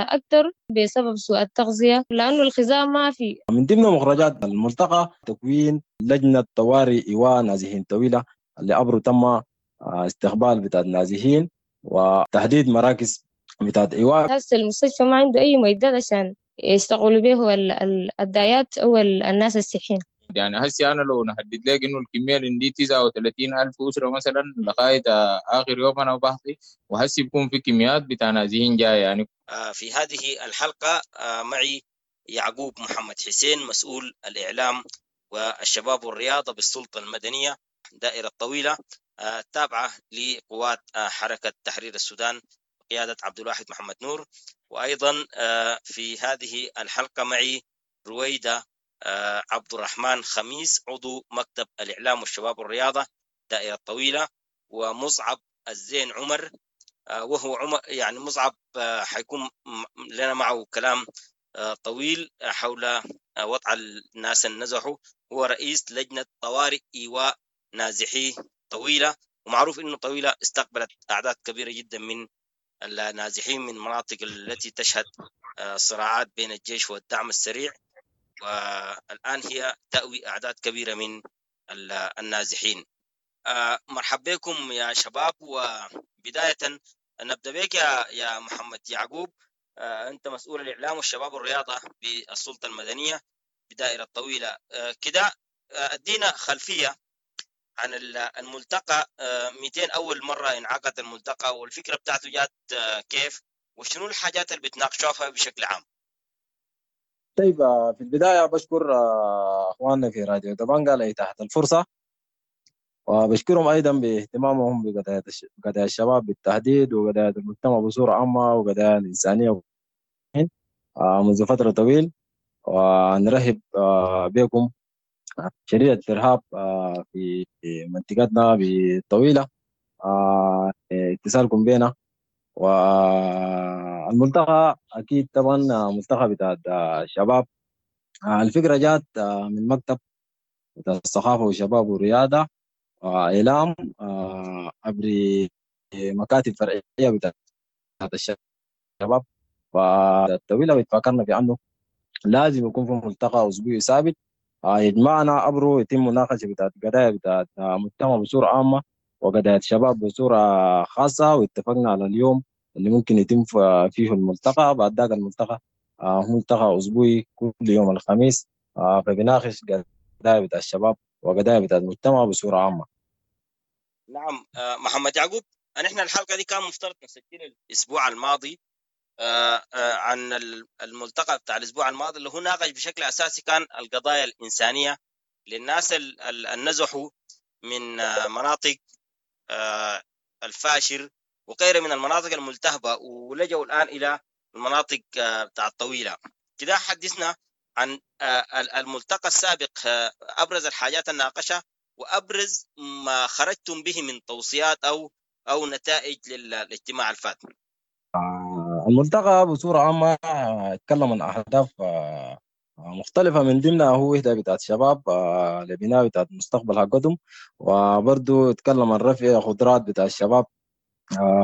أكثر بسبب سوء التغذية لأنه الغذاء ما في. من ضمن مخرجات الملتقى تكوين لجنة طوارئ إيواء نازحين طويلة اللي أبرو تم استقبال بتاع النازحين وتحديد مراكز بتاعت إيواء. هسه المستشفى ما عنده أي معدات عشان يشتغلوا به الدايات أو الناس الصحيين. يعني هسي أنا لو نحدد لك إنه الكمية اللي عندي 39,000 أسرة مثلا لغاية آخر يوم أنا بحثي، وهسي بيكون في كميات بتاع نازحين جاية يعني. في هذه الحلقة معي يعقوب محمد حسين، مسؤول الإعلام والشباب والرياضة بالسلطة المدنية دائرة طويلة التابعة لقوات حركة تحرير السودان بقيادة عبد الواحد محمد نور. وأيضا في هذه الحلقة معي رويدة عبد الرحمن خميس، عضو مكتب الإعلام والشباب والرياضة دائرة طويلة، ومصعب الزين عمر، وهو عمر يعني مصعب حيكون لنا معه كلام طويل حول وضع الناس النزحوا. هو رئيس لجنة طوارئ إيواء نازحي طويلة، ومعروف إنه طويلة استقبلت أعداد كبيرة جدا من النازحين من مناطق التي تشهد صراعات بين الجيش والدعم السريع، والآن هي تأوي أعداد كبيرة من النازحين. مرحبا بكم يا شباب، وبداية نبدأ بك يا محمد يعقوب. أنت مسؤول الإعلام والشباب والرياضة بالسلطة المدنية بدائرة طويلة. كده أدينا خلفية عن الملتقى. 200 أول مرة انعقد الملتقى، والفكرة بتاعته جات كيف، وشنو الحاجات اللي بتناقشوها بشكل عام؟ طيب، في البداية بشكر أخواننا في راديو دبنجة لإتاحة الفرصة، وبشكرهم أيضا باهتمامهم بقضايا الشباب بالتحديد وقضايا المجتمع بصورة عامة وقضايا الإنسانية منذ فترة طويلة. ونرحب بكم شديد الترحاب في منطقتنا بالطويلة، اتصالكم بنا. والملتقى أكيد طبعا ملتقى بتاع الشباب. الفكرة جات من مكتب بتاع الثقافة والشباب والرياضة وإعلام عبر مكاتب فرعية بتاعت الشباب والطويلة، واتفقنا في أنه لازم يكون في ملتقى أسبوعي ثابت يجمعنا أبرو يتم مناقشة بتاعت قضايا بتاعت مجتمع بصورة عامة وقضايا الشباب بصورة خاصة. واتفقنا على اليوم اللي ممكن يتم فيه الملتقى. بعد ذاك الملتقى ملتقى أسبوعي كل يوم الخميس، فبناقش قضايا بتاع الشباب وقضايا بتاع المجتمع بصورة عامة. نعم، محمد يعقوب، نحن الحلقة دي كان مفترض نسجل الأسبوع الماضي عن الملتقى بتاع الأسبوع الماضي اللي هو ناقش بشكل أساسي كان القضايا الإنسانية للناس اللي نزحوا من مناطق الفاشر وغيرها من المناطق الملتهبة ولجوا الآن إلى المناطق بتاع الطويلة. كده حدثنا عن الملتقى السابق، أبرز الحاجات الناقشة وأبرز ما خرجتم به من توصيات أو نتائج للاجتماع الفات. الملتقى بصورة عامة اتكلم عن أهداف مختلفة، من ضمنها هو وحدة بتاعت شباب لبناء بتاعت المستقبل حقتهم، وبرضه اتكلم عن رفع قدرات بتاع الشباب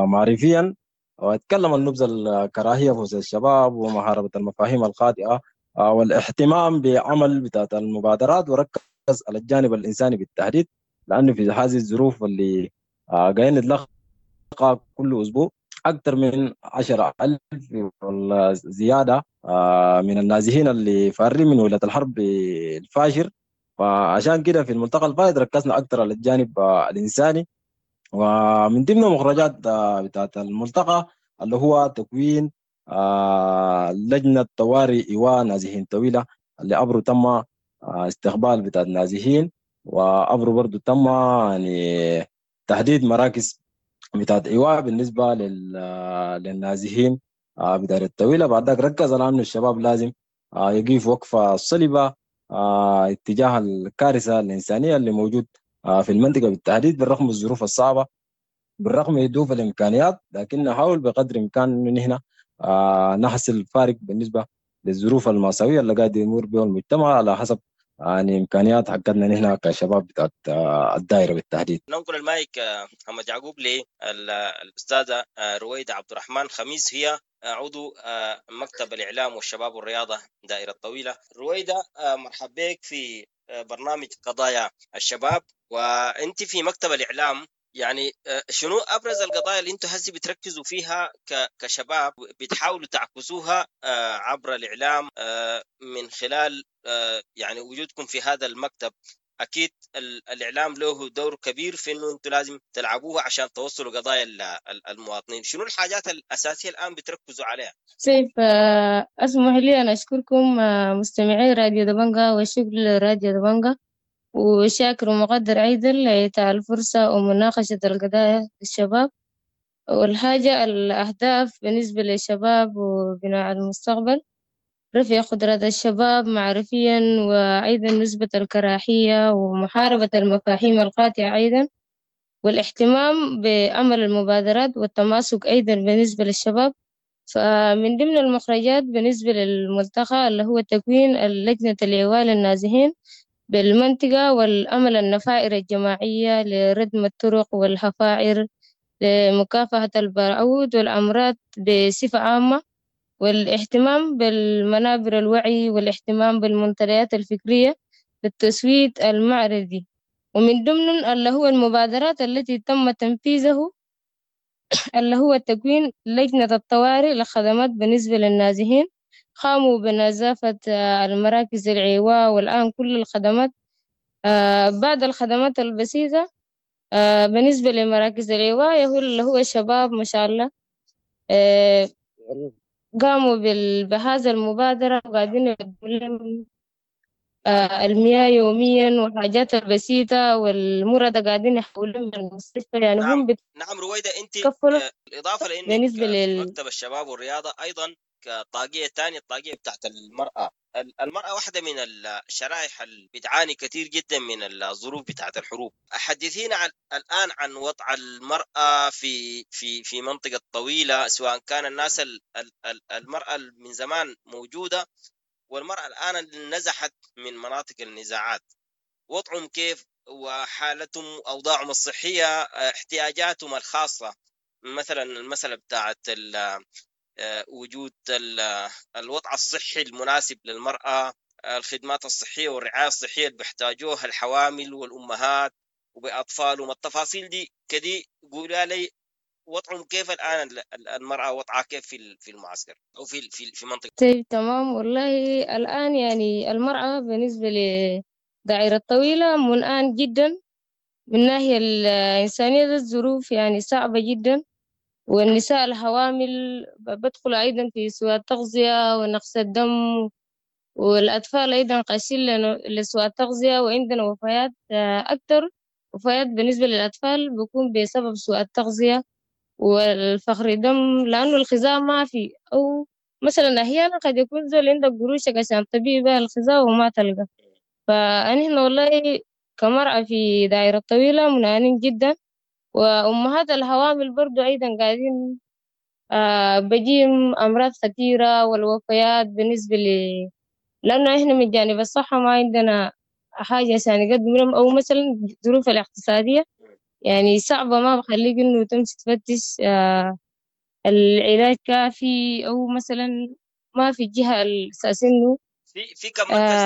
معرفيا، واتكلم عن نبذ الكراهية في وسط الشباب ومحاربة المفاهيم الخاطئة والاهتمام بعمل بتاعت المبادرات، وركز على الجانب الإنساني بالتحديد، لأنه في هذه الظروف اللي قاعدين نتلقى كل أسبوع أكثر من 10,000 ولا زيادة من النازحين اللي فارين من ولاية الحرب الفاشر. فعشان كده في الملتقى الفائت ركزنا أكثر على الجانب الإنساني. ومن ضمن مخرجات بتاعت الملتقى اللي هو تكوين لجنة طوارئ إيواء نازحين طويلة، اللي أبرو تم استقبال بتاع النازحين، وأبرو برضو تم يعني تحديد مراكز بتاعت إيواء بالنسبة للنازحين بتاعت الطويلة. بعد ذاك ركز على أنه الشباب لازم يقف وقفة صلبة اتجاه الكارثة الإنسانية اللي موجود في المنطقة بالتحديد، بالرغم من الظروف الصعبة، بالرغم من ضعف الإمكانيات، لكن نحاول بقدر الإمكان إنه نحن نحصل فارق بالنسبة للظروف المأساوية اللي قاعد يمر بها المجتمع على حسب يعني إمكانيات حقتنا نحن كشباب بتاعت الدائرة بالتحديد. ننقل المايك محمد يعقوب للأستاذة رويدة عبد الرحمن خميس، هي عضو مكتب الإعلام والشباب والرياضة دائرة طويلة. رويدة، مرحبا بك في برنامج قضايا الشباب، وأنت في مكتب الإعلام، يعني شنو أبرز القضايا اللي أنتوا هسي بتركزوا فيها كشباب بتحاولوا تعكسوها عبر الإعلام من خلال يعني وجودكم في هذا المكتب؟ أكيد الإعلام له دور كبير في أنه أنتوا لازم تلعبوها عشان توصلوا قضايا المواطنين. شنو الحاجات الأساسية الآن بتركزوا عليها؟ سيف، أسمح لي أن أشكركم مستمعي راديو دبنجا، والشكر لراديو دبنجا، وشاكر ومقدر أيضا لإعطاء الفرصة ومناقشة القضايا للشباب. والحاجة الأهداف بالنسبة للشباب وبناء المستقبل، رفع قدرات الشباب معرفيا، وأيضا نسبة الكراهية ومحاربة المفاهيم القاطعة أيضا، والاهتمام بعمل المبادرات والتماسك أيضا بالنسبة للشباب. فمن ضمن المخرجات بالنسبة للملتقى اللي هو تكوين اللجنة الإيواء للنازحين بالمنطقة، والأمل النفائر الجماعية لردم الطرق والحفائر لمكافحة البعوض والأمراض بصفة عامة، والاهتمام بالمنابر الوعي، والاهتمام بالمنتديات الفكرية للتسويد المعرفي. ومن ضمن اللي هو المبادرات التي تم تنفيذه اللي هو تكوين لجنة الطوارئ للخدمات بالنسبة للنازحين، قاموا بنظافة المراكز العواء، والآن كل الخدمات بعد الخدمات البسيطة بالنسبة لمراكز العواء اللي هو الشباب ما شاء الله قاموا بهذا المبادرة، وقاعدين يقدموا لهم المياه يوميا والحاجات البسيطة، والمرضى قاعدين يحولون من المستشفى. يعني نعم. هم نعم رويدة، أنت بالإضافة لأنك بالنسبة في مكتب الشباب والرياضة أيضا كطاقية ثانية، الطاقية بتاعت المرأة. المرأة واحدة من الشرائح اللي بتعاني كثير جدا من الظروف بتاعت الحروب. حدثينا الآن عن وضع المرأة في في في منطقة طويلة، سواء كان الناس المرأة من زمان موجودة والمرأة الآن اللي نزحت من مناطق النزاعات، وضعهم كيف وحالتهم، أوضاعهم الصحية، احتياجاتهم الخاصة، مثلا المسألة بتاعت وجود الوضع الصحي المناسب للمرأة، الخدمات الصحية والرعاية الصحية اللي بيحتاجوها الحوامل والأمهات وبأطفالهم، التفاصيل دي كدي قولها لي، وضعهم كيف الآن المرأة وضعها كيف في المعسكر أو في في في منطقة؟ طيب تمام. والله الآن يعني المرأة بالنسبة لدائرة الطويلة منآن جدا من ناحية الإنسانية، الظروف يعني صعبة جدا، والنساء الحوامل بدخل أيضا في سوء التغذية ونقص الدم، والأطفال أيضا قاسين لسوء التغذية، وعندنا وفيات أكثر وفيات بالنسبة للأطفال بيكون بسبب سوء التغذية والفقر دم، لأنه الغذاء ما في، أو مثلا أحيانا قد يكون زول عندك قروشك عشان تبيع بها الغذاء وما تلقى. فنحن والله كمرأة في دائرة طويلة منانين جدا، وأمهات الحوامل برضو أيضا قاعدين بجيم أمراض خطيرة والوفيات بالنسبة لأنه إحنا من جانب الصحة ما عندنا حاجة عشان نقدم لهم، أو مثلا الظروف الاقتصادية يعني صعبة، ما بخليك إنه تمشي تفتش العلاج كافي، أو مثلا ما في جهة الأساس إنه في كم مركز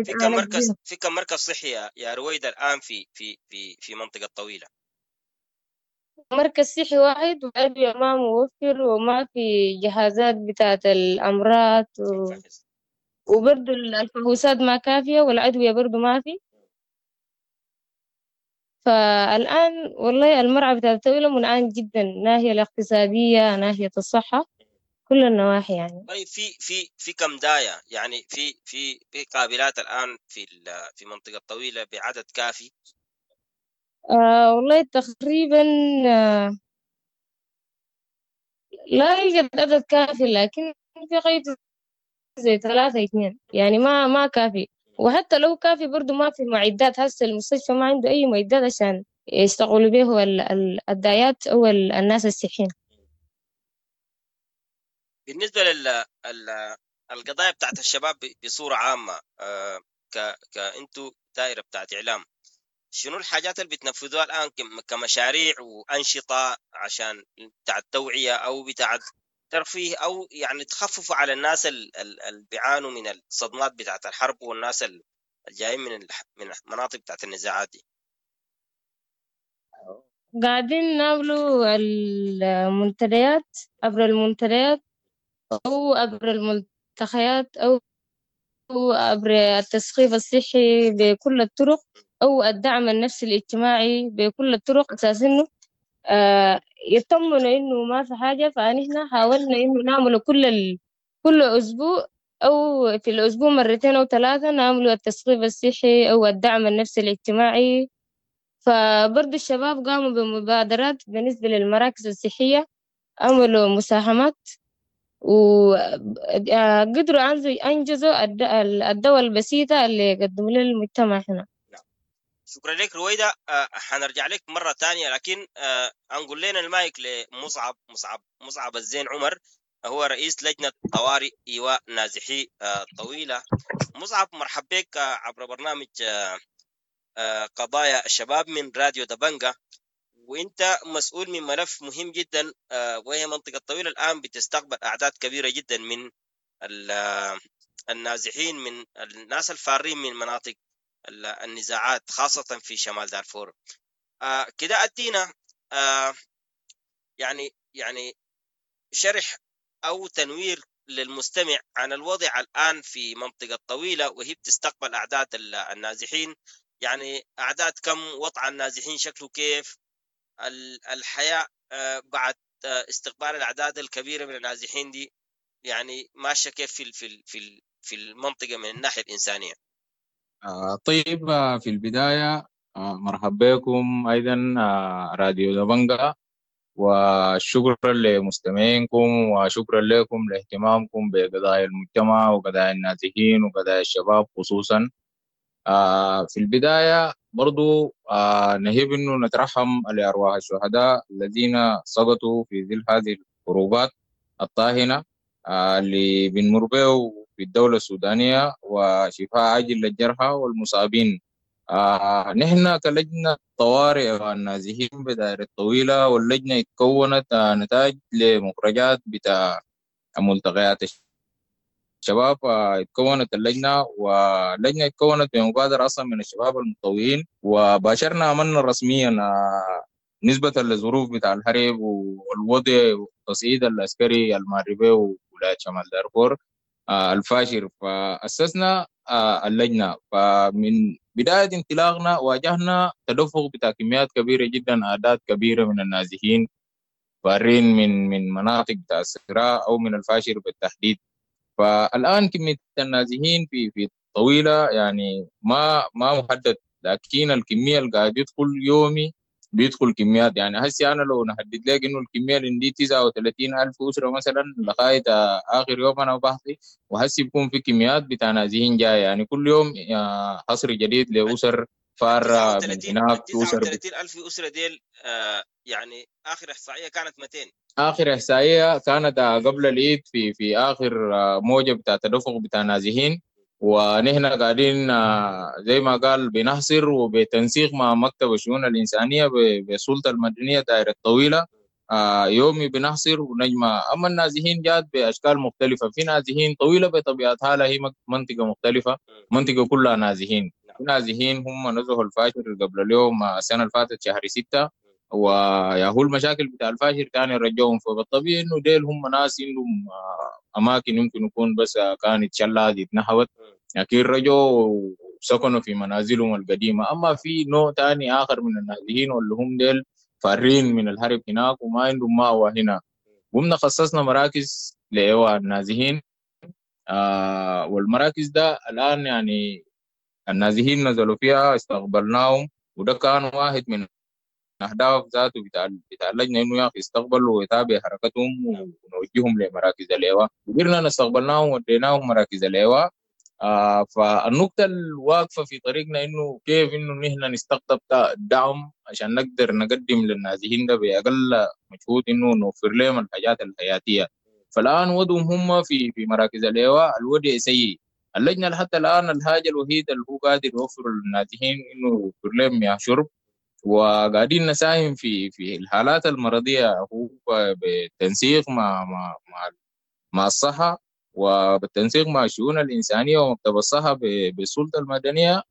في كم مركز في كم مركز صحي يا رويدة الآن في في في في منطقة طويلة؟ مركز صحي واحد، وأدوية ما موفر، وما في جهازات بتاعة الأمراض وبرضو الفحوصات ما كافية، والأدوية برضو ما في. فالآن والله المرعى بتاعة الطويلة منعان جدا، ناحية الاقتصادية، ناحية الصحة، كل النواحي يعني. طيب في كم داية يعني في في في قابلات الآن في منطقة طويلة بعدد كافي؟ والله تقريبا لا يوجد عدد كافي، لكن في قيد زي 3 2 يعني ما كافي. وحتى لو كافي برضو ما في معدات. هسه المستشفى ما عنده أي معدات عشان يشتغلوا به الدايات أو الناس الصحيين. بالنسبة للقضايا بتاعت الشباب بصورة عامة، كأنتوا دائرة بتاعت إعلام، شنو الحاجات اللي بتنفذوها الآن كمشاريع وأنشطة عشان بتاع التوعية أو بتاع ترفيه، أو يعني تخففوا على الناس اللي بيعانوا من الصدمات بتاعت الحرب والناس الجايين من المناطق بتاعت النزاعات دي؟ قاعدين نعملوا المنتديات عبر المنتديات أو عبر الملتقيات أو عبر التثقيف الصحي بكل الطرق، أو الدعم النفسي الاجتماعي بكل الطرق، أساس إنه يطمنوا إنه ما في حاجة. فنحن حاولنا إنه نعمل كل أسبوع أو في الأسبوع مرتين أو 3 نعمل التثقيف الصحي أو الدعم النفسي الاجتماعي. فبرضو الشباب قاموا بمبادرات بالنسبة للمراكز الصحية، عملوا مساهمات وقدروا أنجزوا الدواء البسيطة اللي قدموا للمجتمع هنا. شكرا لك رويدة. حنرجع لك مرة تانية، لكن أنقل لنا المايك لمصعب مصعب الزين عمر، هو رئيس لجنة طوارئ إيواء نازحي طويلة. مصعب، مرحب بك عبر برنامج قضايا الشباب من راديو دبنجة، وانت مسؤول من ملف مهم جدا، وهي منطقة طويلة الآن بتستقبل أعداد كبيرة جدا من النازحين، من الناس الفارين من مناطق النزاعات خاصة في شمال دارفور. كده أدينا يعني شرح أو تنوير للمستمع عن الوضع الآن في منطقة طويلة وهي بتستقبل أعداد النازحين، يعني أعداد كم، وضع النازحين شكله كيف، الحياة بعد استقبال الأعداد الكبيرة من النازحين دي يعني ماشية كيف في في في في المنطقة من الناحية الإنسانية. طيب، في البداية مرحبا بكم أيضا راديو دبنجة، وشكرا لمستمعينكم وشكرا لكم لاهتمامكم بقضايا المجتمع وقضايا النازحين وقضايا الشباب خصوصا. في البداية برضو نهيب أنه نترحم لأرواح الشهداء الذين سقطوا في ظل هذه الحروبات الطاهنة اللي بنمر به في الدولة السودانية، وشفاء عاجل للجرحى والمصابين. نحن كلجنة طوارئ والنازحين بدائرة طويلة، واللجنة اتكونت نتاج لمخرجات بتاع ملتقيات الشباب. اتكونت اللجنة، واللجنة اتكونت بمبادرة أصلا من الشباب المتطوعين، وباشرنا عملنا رسميا نسبة للظروف بتاع الحرب والوضع والتصعيد العسكري المغربي وولاية شمال دارفور الفاشر، فأسسنا اللجنة. فمن بداية انطلاقنا واجهنا تدفق بتاع كميات كبيرة جدا، أعداد كبيرة من النازحين فارين من مناطق بتاع الصراع أو من الفاشر بالتحديد. فالآن كمية النازحين في طويلة يعني ما محدد، لكن الكمية اللي قاعد يدخل يومي بيدخل كميات. يعني هسي أنا لو نحدد لك إنه الكمية اللي عندي 39,000 أسرة مثلا لغاية آخر يوم أنا بحثي، وهسي بيكون في كميات بتاع نازحين جاية، يعني كل يوم حصر جديد لأسر فارة من هناك. 39,000 أسرة ديل يعني آخر إحصائية كانت 200. آخر إحصائية كانت قبل العيد في آخر موجة بتاع تدفق بتاع نازحين، ونحن قاعدين زي ما قال بنحصر وبتنسيق مع مكتب الشؤون الإنسانية بالسلطة المدنية دائرة طويلة. يومي بنحصر ونجمع. اما النازحين جات باشكال مختلفة، في نازحين طويلة بطبيعتها لها هي منطقة مختلفة، منطقة كلها نازحين. في نازحين هم نزحوا الفاشر قبل اليوم السنة اللي فاتت شهر 6، ويا هو المشاكل بتاع الفاشر كان يرجعهم. فبالطبيعي انه ديل هم ناس عندهم اماكن يمكن يكون بس كانت شلات اتنهبت، لكن رجعوا وسكنوا في منازلهم القديمة. اما في نوع ثاني اخر من النازحين واللي هم ديل فارين من الهرب هناك وما عندهم مأوى هنا، قمنا خصصنا مراكز لإيواء النازحين. والمراكز ده الآن يعني النازحين نزلوا فيها، استقبلناهم، وده كان واحد من أهداف ذاته بتاع اللجنة، إنه يا أخي يستقبلوا ويتابع حركتهم ونوجههم لمراكز الإيواء. قدرنا استقبلناهم وديناهم مراكز الإيواء. فالنقطة الواقفة في طريقنا إنه كيف إنه نحن نستقطب دعم عشان نقدر نقدم للنازحين ده بأقل مجهود، إنه نوفر لهم الحاجات الحياتية. فالآن وضعهم هم في مراكز الإيواء الوضع سيء. اللجنة حتى الآن الحاجة الوحيدة اللي هو قادر يوفر للنازحين إنه يوفر لهم مياه شرب، وقاعدين نساهم في الحالات المرضية هو بالتنسيق مع مع مع مع الصحة، وبالتنسيق مع الشؤون الإنسانية ومكتب الصحة بالسلطة المدنية.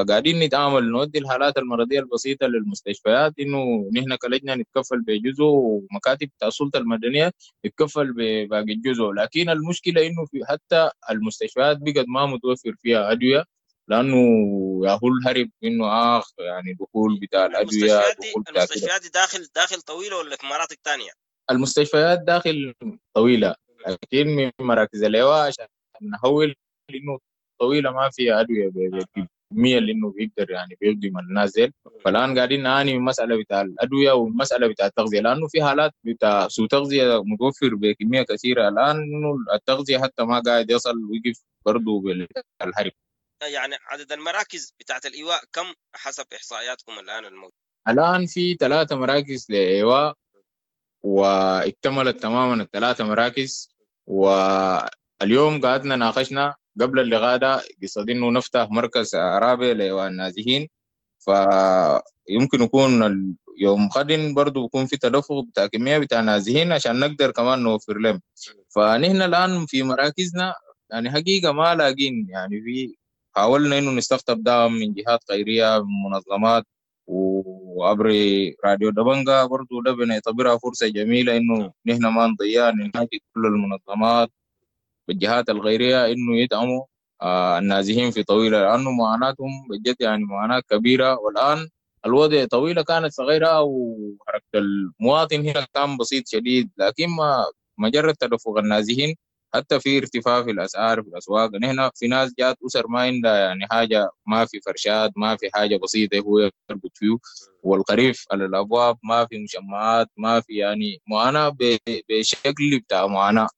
قاعدين نتعامل نودي الحالات المرضية البسيطة للمستشفيات، إنه نحن كلجنة نتكفل بجزء ومكاتب بتاع السلطة المدنية تتكفل بباقي الجزء. لكن المشكلة إنه في حتى المستشفيات بقت ما متوفر فيها أدوية، لأنه ياهو الهرب إنه يعني دخول بتاع الأدوية. المستشفيات دي داخل طويلة ولا في مناطق تانية؟ المستشفيات داخل طويلة، لكن من مراكز الإيواء عشان نحول إنه طويلة ما فيها أدوية بالكمية اللي إنه بيقدر يعني بيخدم النازل. فالآن قاعدين نعاني من مسألة بتاع الأدوية والمسألة بتاع التغذية، لأنه في حالات بتاع سوء تغذية متوفر بكمية كثيرة الآن، إنه التغذية حتى ما قاعد يصل ويقف برضه بالحرب. يعني عدد المراكز بتاعت الإيواء كم حسب إحصائياتكم الآن الموجودة؟ الآن في 3 مراكز لإيواء، واكتملت تماما ال3 مراكز. واليوم قعدنا ناقشنا قبل اللقاء ده قصد انه نفتح مركز رابع لإيواء النازحين، فيمكن يكون يوم غد برضو يكون في تدفق بتاع كمية بتاع نازحين عشان نقدر كمان نوفر لهم. فنحن الآن في مراكزنا يعني حقيقة ما لاقين، يعني في حاولنا انه نستقطب دعم من جهات خيرية، من منظمات، وعبر راديو دبنجا برضو ده بنعتبرها فرصة جميلة إنه نحن ما نضيع، نناشد كل المنظمات والجهات الغيرية إنه يدعموا النازحين في طويلة، لأنه معاناتهم بجد يعني معاناة كبيرة. والآن الوضع طويلة كانت صغيرة وحركة المواطن هنا كان بسيط شديد، لكن ما مجرد تدفق النازحين حتى في ارتفاع في الأسعار في الأسواق. نحن في ناس جات أسر ما عندها يعني حاجة، ما في فرشات، ما في حاجة بسيطة هو يربط فيه، والخريف على الأبواب، ما في مشمعات، ما في يعني معاناة بشكل بتاع معاناة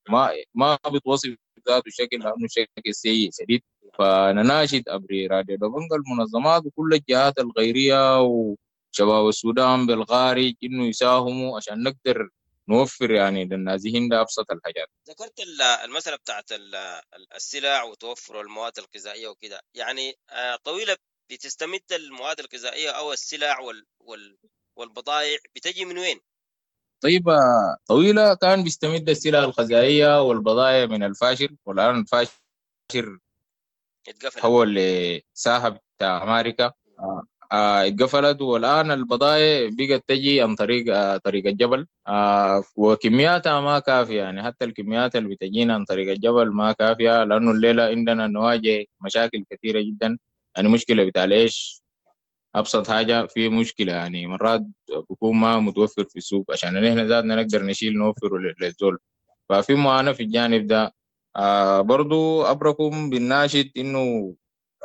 ما بتوصف ذاته الشكل، لأنه شكل سيء شديد. فنناشد أبري راديو دبنجا المنظمات وكل الجهات الغيرية وشباب السودان بالخارج إنه يساهموا عشان نقدر نوفر يعني للنازحين ده أبسط الحاجات. ذكرت المسألة بتاعت السلع وتوفر المواد الغذائية وكده، يعني طويلة بتستمد المواد الغذائية أو السلع والبضائع بتجي من وين؟ طيب طويلة كان بيستمد السلع الغذائية والبضائع من الفاشر، والآن الفاشر تحول لساحة بتاع أمريكا، اتقفلت، والآن البضائع بقت تجي عن طريق الجبل، وكمياتها ما كافية. يعني حتى الكميات اللي بتجينا عن طريق الجبل ما كافية، لأنه الليلة عندنا نواجه مشاكل كثيرة جدا. يعني مشكلة بتاع العيش أبسط حاجة في مشكلة، يعني مرات بيكون ما متوفر في السوق عشان نحن ذاتنا نقدر نشيل نوفره للزول. ففي معاناة في الجانب ده. برضو أبركم بالناشد إنه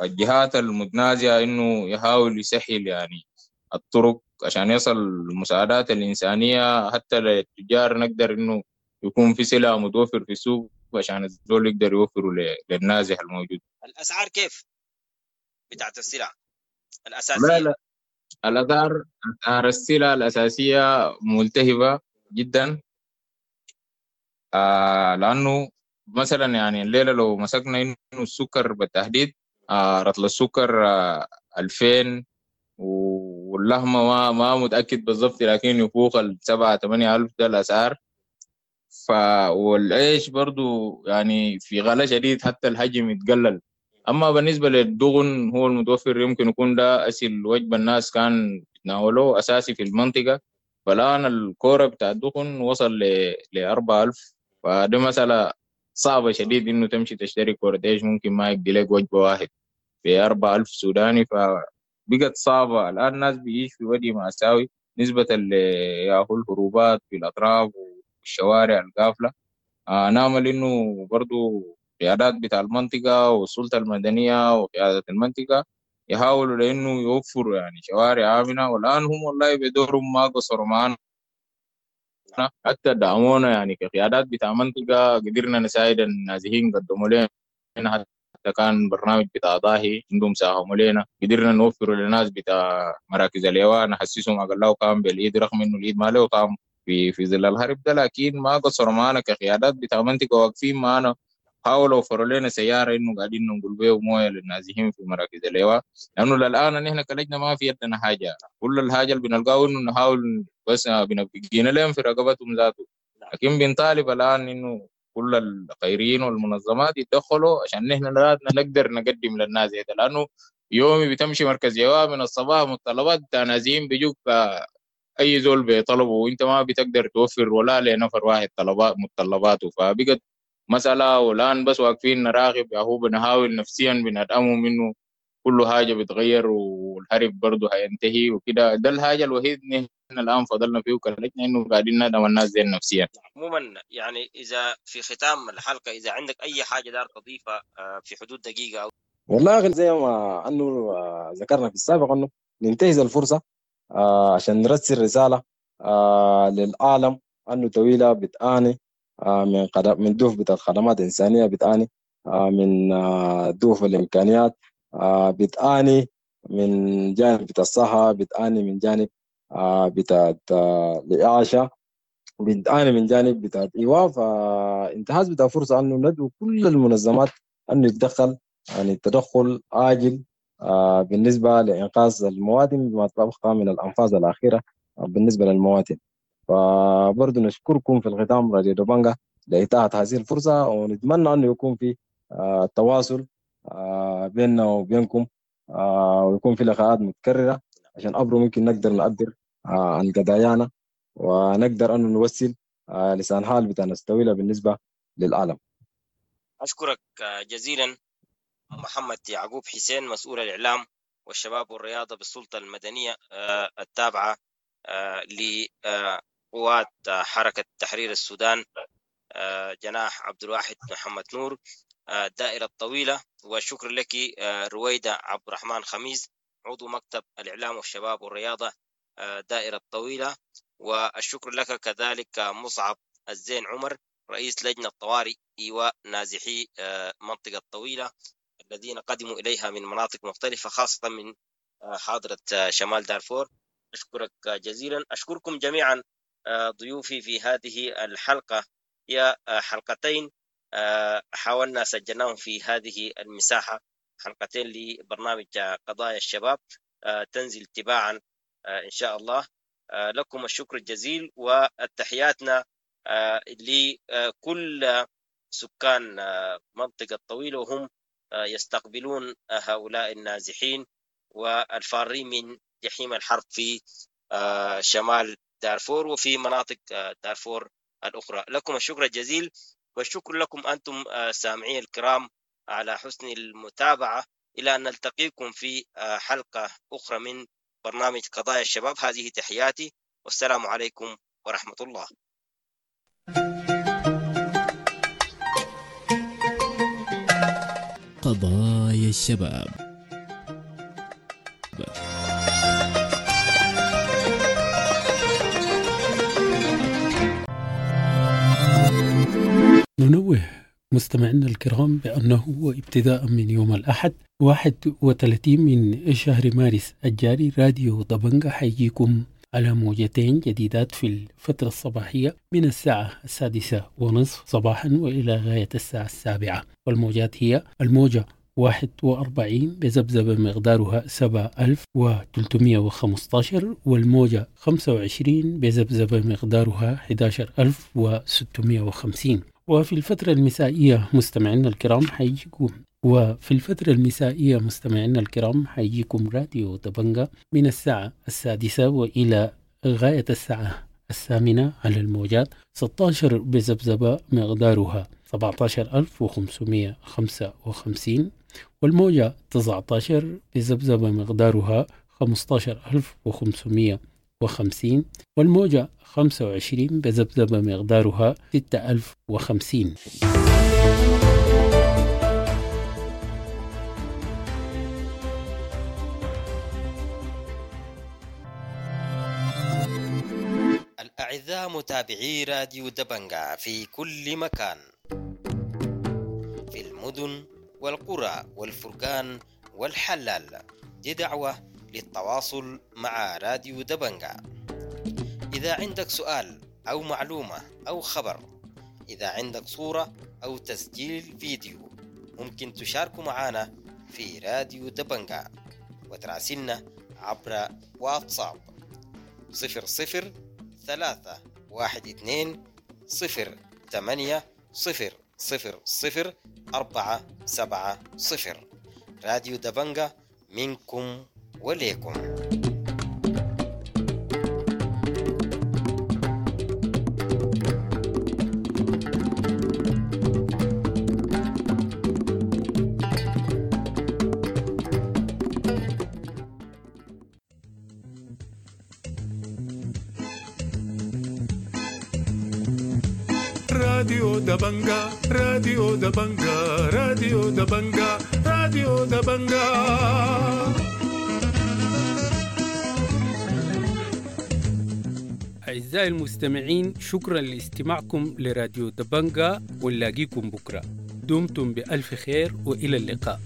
الجهات المتنازعة إنه يحاول يسهل يعني الطرق عشان يصل المساعدات الإنسانية حتى للتجار، نقدر إنه يكون في سلع متوفر في السوق عشان الزول يقدر يوفره للنازح الموجود. الأسعار كيف بتاعت السلع الأساسية؟ لا الأسعار السلع الأساسية ملتهبة جدا، لأنه مثلا يعني الليلة لو مسكنا إنه السكر بالتحديد، رطل السكر 2000 واللحمة ما متأكد بالضبط، لكن يفوق 7-8 ألف ده الأسعار. والعيش برضو يعني في غلاء شديد، حتى الحجم يتقلل. أما بالنسبة للدغن هو المتوفر، يمكن يكون ده أسهل وجبة الناس كان يتناولوه أساسي في المنطقة. فالآن الكورة بتاع الدخن وصل ل 4000، فده مسألة صعبة شديد إنه تمشي تشتري كورة عيش ممكن ما يقضي لك وجبة واحد ب 4000 سوداني، فبقت صعبة. الآن الناس بيعيش في وادي مأساوي نسبة لياهو الهروبات في الأطراف والشوارع القافلة. نعمل إنه برضو قيادات بتاع المنطقة والسلطة المدنية وقيادة المنطقة يحاولوا لأنه يوفروا يعني شوارع آمنة. والآن هم والله بدورهم ما قصروا معنا، حتى دعمونا يعني كقيادات بتاع منطقة، قدرنا نساعد النازحين، قدموا لنا حتى كان برنامج بتاع ضاهي عندهم ساهموا لنا، قدرنا نوفر للناس بتاع مراكز الإيواء نحسسهم أقل كان بالإيد، رغم إنه الإيد ما له طعم في ظل الهرب ده، لكن ما قصروا معنا كقيادات بتاع منطقة، واقفين معنا، حاولوا وفروا لنا سيارة إنه قاعدين ننقل بيه موية للنازحين في مراكز الإيواء، لأنه للآن نحن كلجنة ما في يدنا حاجة، كل الحاجة اللي بنلقاه إنه نحاول بس بنبقينا لهم في رقبتهم ذاته. لكن بنطالب الآن إنه كل الخيريين والمنظمات يتدخلوا عشان نحن نقدر نقدم للناس هذا، لأنه يومي بتمشي مركز إيواء من الصباح متطلبات بتاع نازحين بيجوك أي زول بيطلبه، وأنت ما بتقدر توفر ولا لنفر واحد طلبات متطلباته، فبقت مسألة. والآن بس واقفين نراقب، هو بنحاول نفسيا بندعمهم إنه كل حاجة بتغير والحرب برضه هينتهي وكده. ده الحاجة الوحيد نحن الآن فضلنا فيه وكلجنا إنه قاعدين ندعم الناس زي نفسيا. عموما يعني إذا في ختام الحلقة إذا عندك أي حاجة دار تضيفها في حدود دقيقة أو والله زي ما أنه ذكرنا في السابق أنه ننتهز الفرصة عشان نرسل رسالة للعالم أنه طويلة بتعاني من ضعف بتاع الخدمات الإنسانية، بتعاني من ضعف الإمكانيات، بتعاني من جانب بتاع الصحة، بتعاني من جانب بتاع الإعاشة، بتعاني من جانب بتاع الإيواء. فانتهاز بتاع فرصة أنه ندعو كل المنظمات أنه يتدخل، يعني التدخل عاجل بالنسبة لإنقاذ المواطن بما تبقى من الأنفاس الأخيرة بالنسبة للمواطن. فبرضو نشكركم في الختام راديو دبنجا لإتاحة هذه الفرصة، ونتمنى أنه يكون في تواصل بيننا وبينكم، ويكون في لقاءات متكررة عشان أبرو ممكن نقدر نعبر عن قضايانا ونقدر أن نوصل لسان حال بتاع الطويلة بالنسبة للعالم. أشكرك جزيلا محمد يعقوب حسين، مسؤول الإعلام والشباب والرياضة بالسلطة المدنية التابعة لقوات حركة تحرير السودان جناح عبد الواحد محمد نور الدائرة الطويلة. والشكر لك رويدة عبد الرحمن خميس، عضو مكتب الإعلام والشباب والرياضة دائرة الطويلة. والشكر لك كذلك مصعب الزين عمر، رئيس لجنة طوارئ إيواء نازحي منطقة الطويلة الذين قدموا إليها من مناطق مختلفة خاصة من حاضرة شمال دارفور. أشكرك جزيلا. أشكركم جميعا ضيوفي في هذه الحلقة، هي حلقتين حاولنا سجلناهم في هذه المساحة، حلقتين لبرنامج قضايا الشباب تنزل تباعا إن شاء الله. لكم الشكر الجزيل وتحياتنا لكل سكان منطقة الطويلة وهم يستقبلون هؤلاء النازحين والفارين من جحيم الحرب في شمال دارفور وفي مناطق دارفور الأخرى. لكم الشكر الجزيل، والشكر لكم أنتم سامعي الكرام على حسن المتابعة. إلى أن نلتقيكم في حلقة أخرى من برنامج قضايا الشباب، هذه تحياتي والسلام عليكم ورحمة الله. قضايا الشباب. ننوه مستمعينا الكرام بأنه ابتداء من يوم الأحد 31 من شهر مارس الجاري راديو دبنجا حيجيكم على موجتين جديدات في الفترة الصباحية من الساعة 6:30 صباحا وإلى غاية الساعة 7، والموجات هي الموجة 41 بذبذبة مقدارها 7315، والموجة 25 بذبذبة مقدارها 11650. وفي الفترة المسائية مستمعينا الكرام حيجيكم وفي الفترة المسائية مستمعينا الكرام حيجيكم راديو دبنجا من الساعة 6 وإلى غاية الساعة 8 على الموجات 16 بذبذبة مقدارها 17555، والموجة 19 بذبذبة مقدارها 15550، والموجة 25 بذبذبة مقدارها 6050. الأعزاء متابعي راديو دبنجا في كل مكان، في المدن والقرى والفرقان والحلال، دي دعوة للتواصل مع راديو دبنجا. إذا عندك سؤال أو معلومة أو خبر، إذا عندك صورة أو تسجيل فيديو، ممكن تشاركوا معنا في راديو دبنجا وتراسلنا عبر واتساب 00 3 1 2 0 8 0 0 0 4 7 0. راديو دبنجا منكم وليكم. راديو دبنجا، راديو دبنجا، راديو دبنجا، راديو دبنجا. أعزائي المستمعين، شكرا لاستماعكم لراديو دبنجا، ونلاقيكم بكرة. دمتم بألف خير وإلى اللقاء.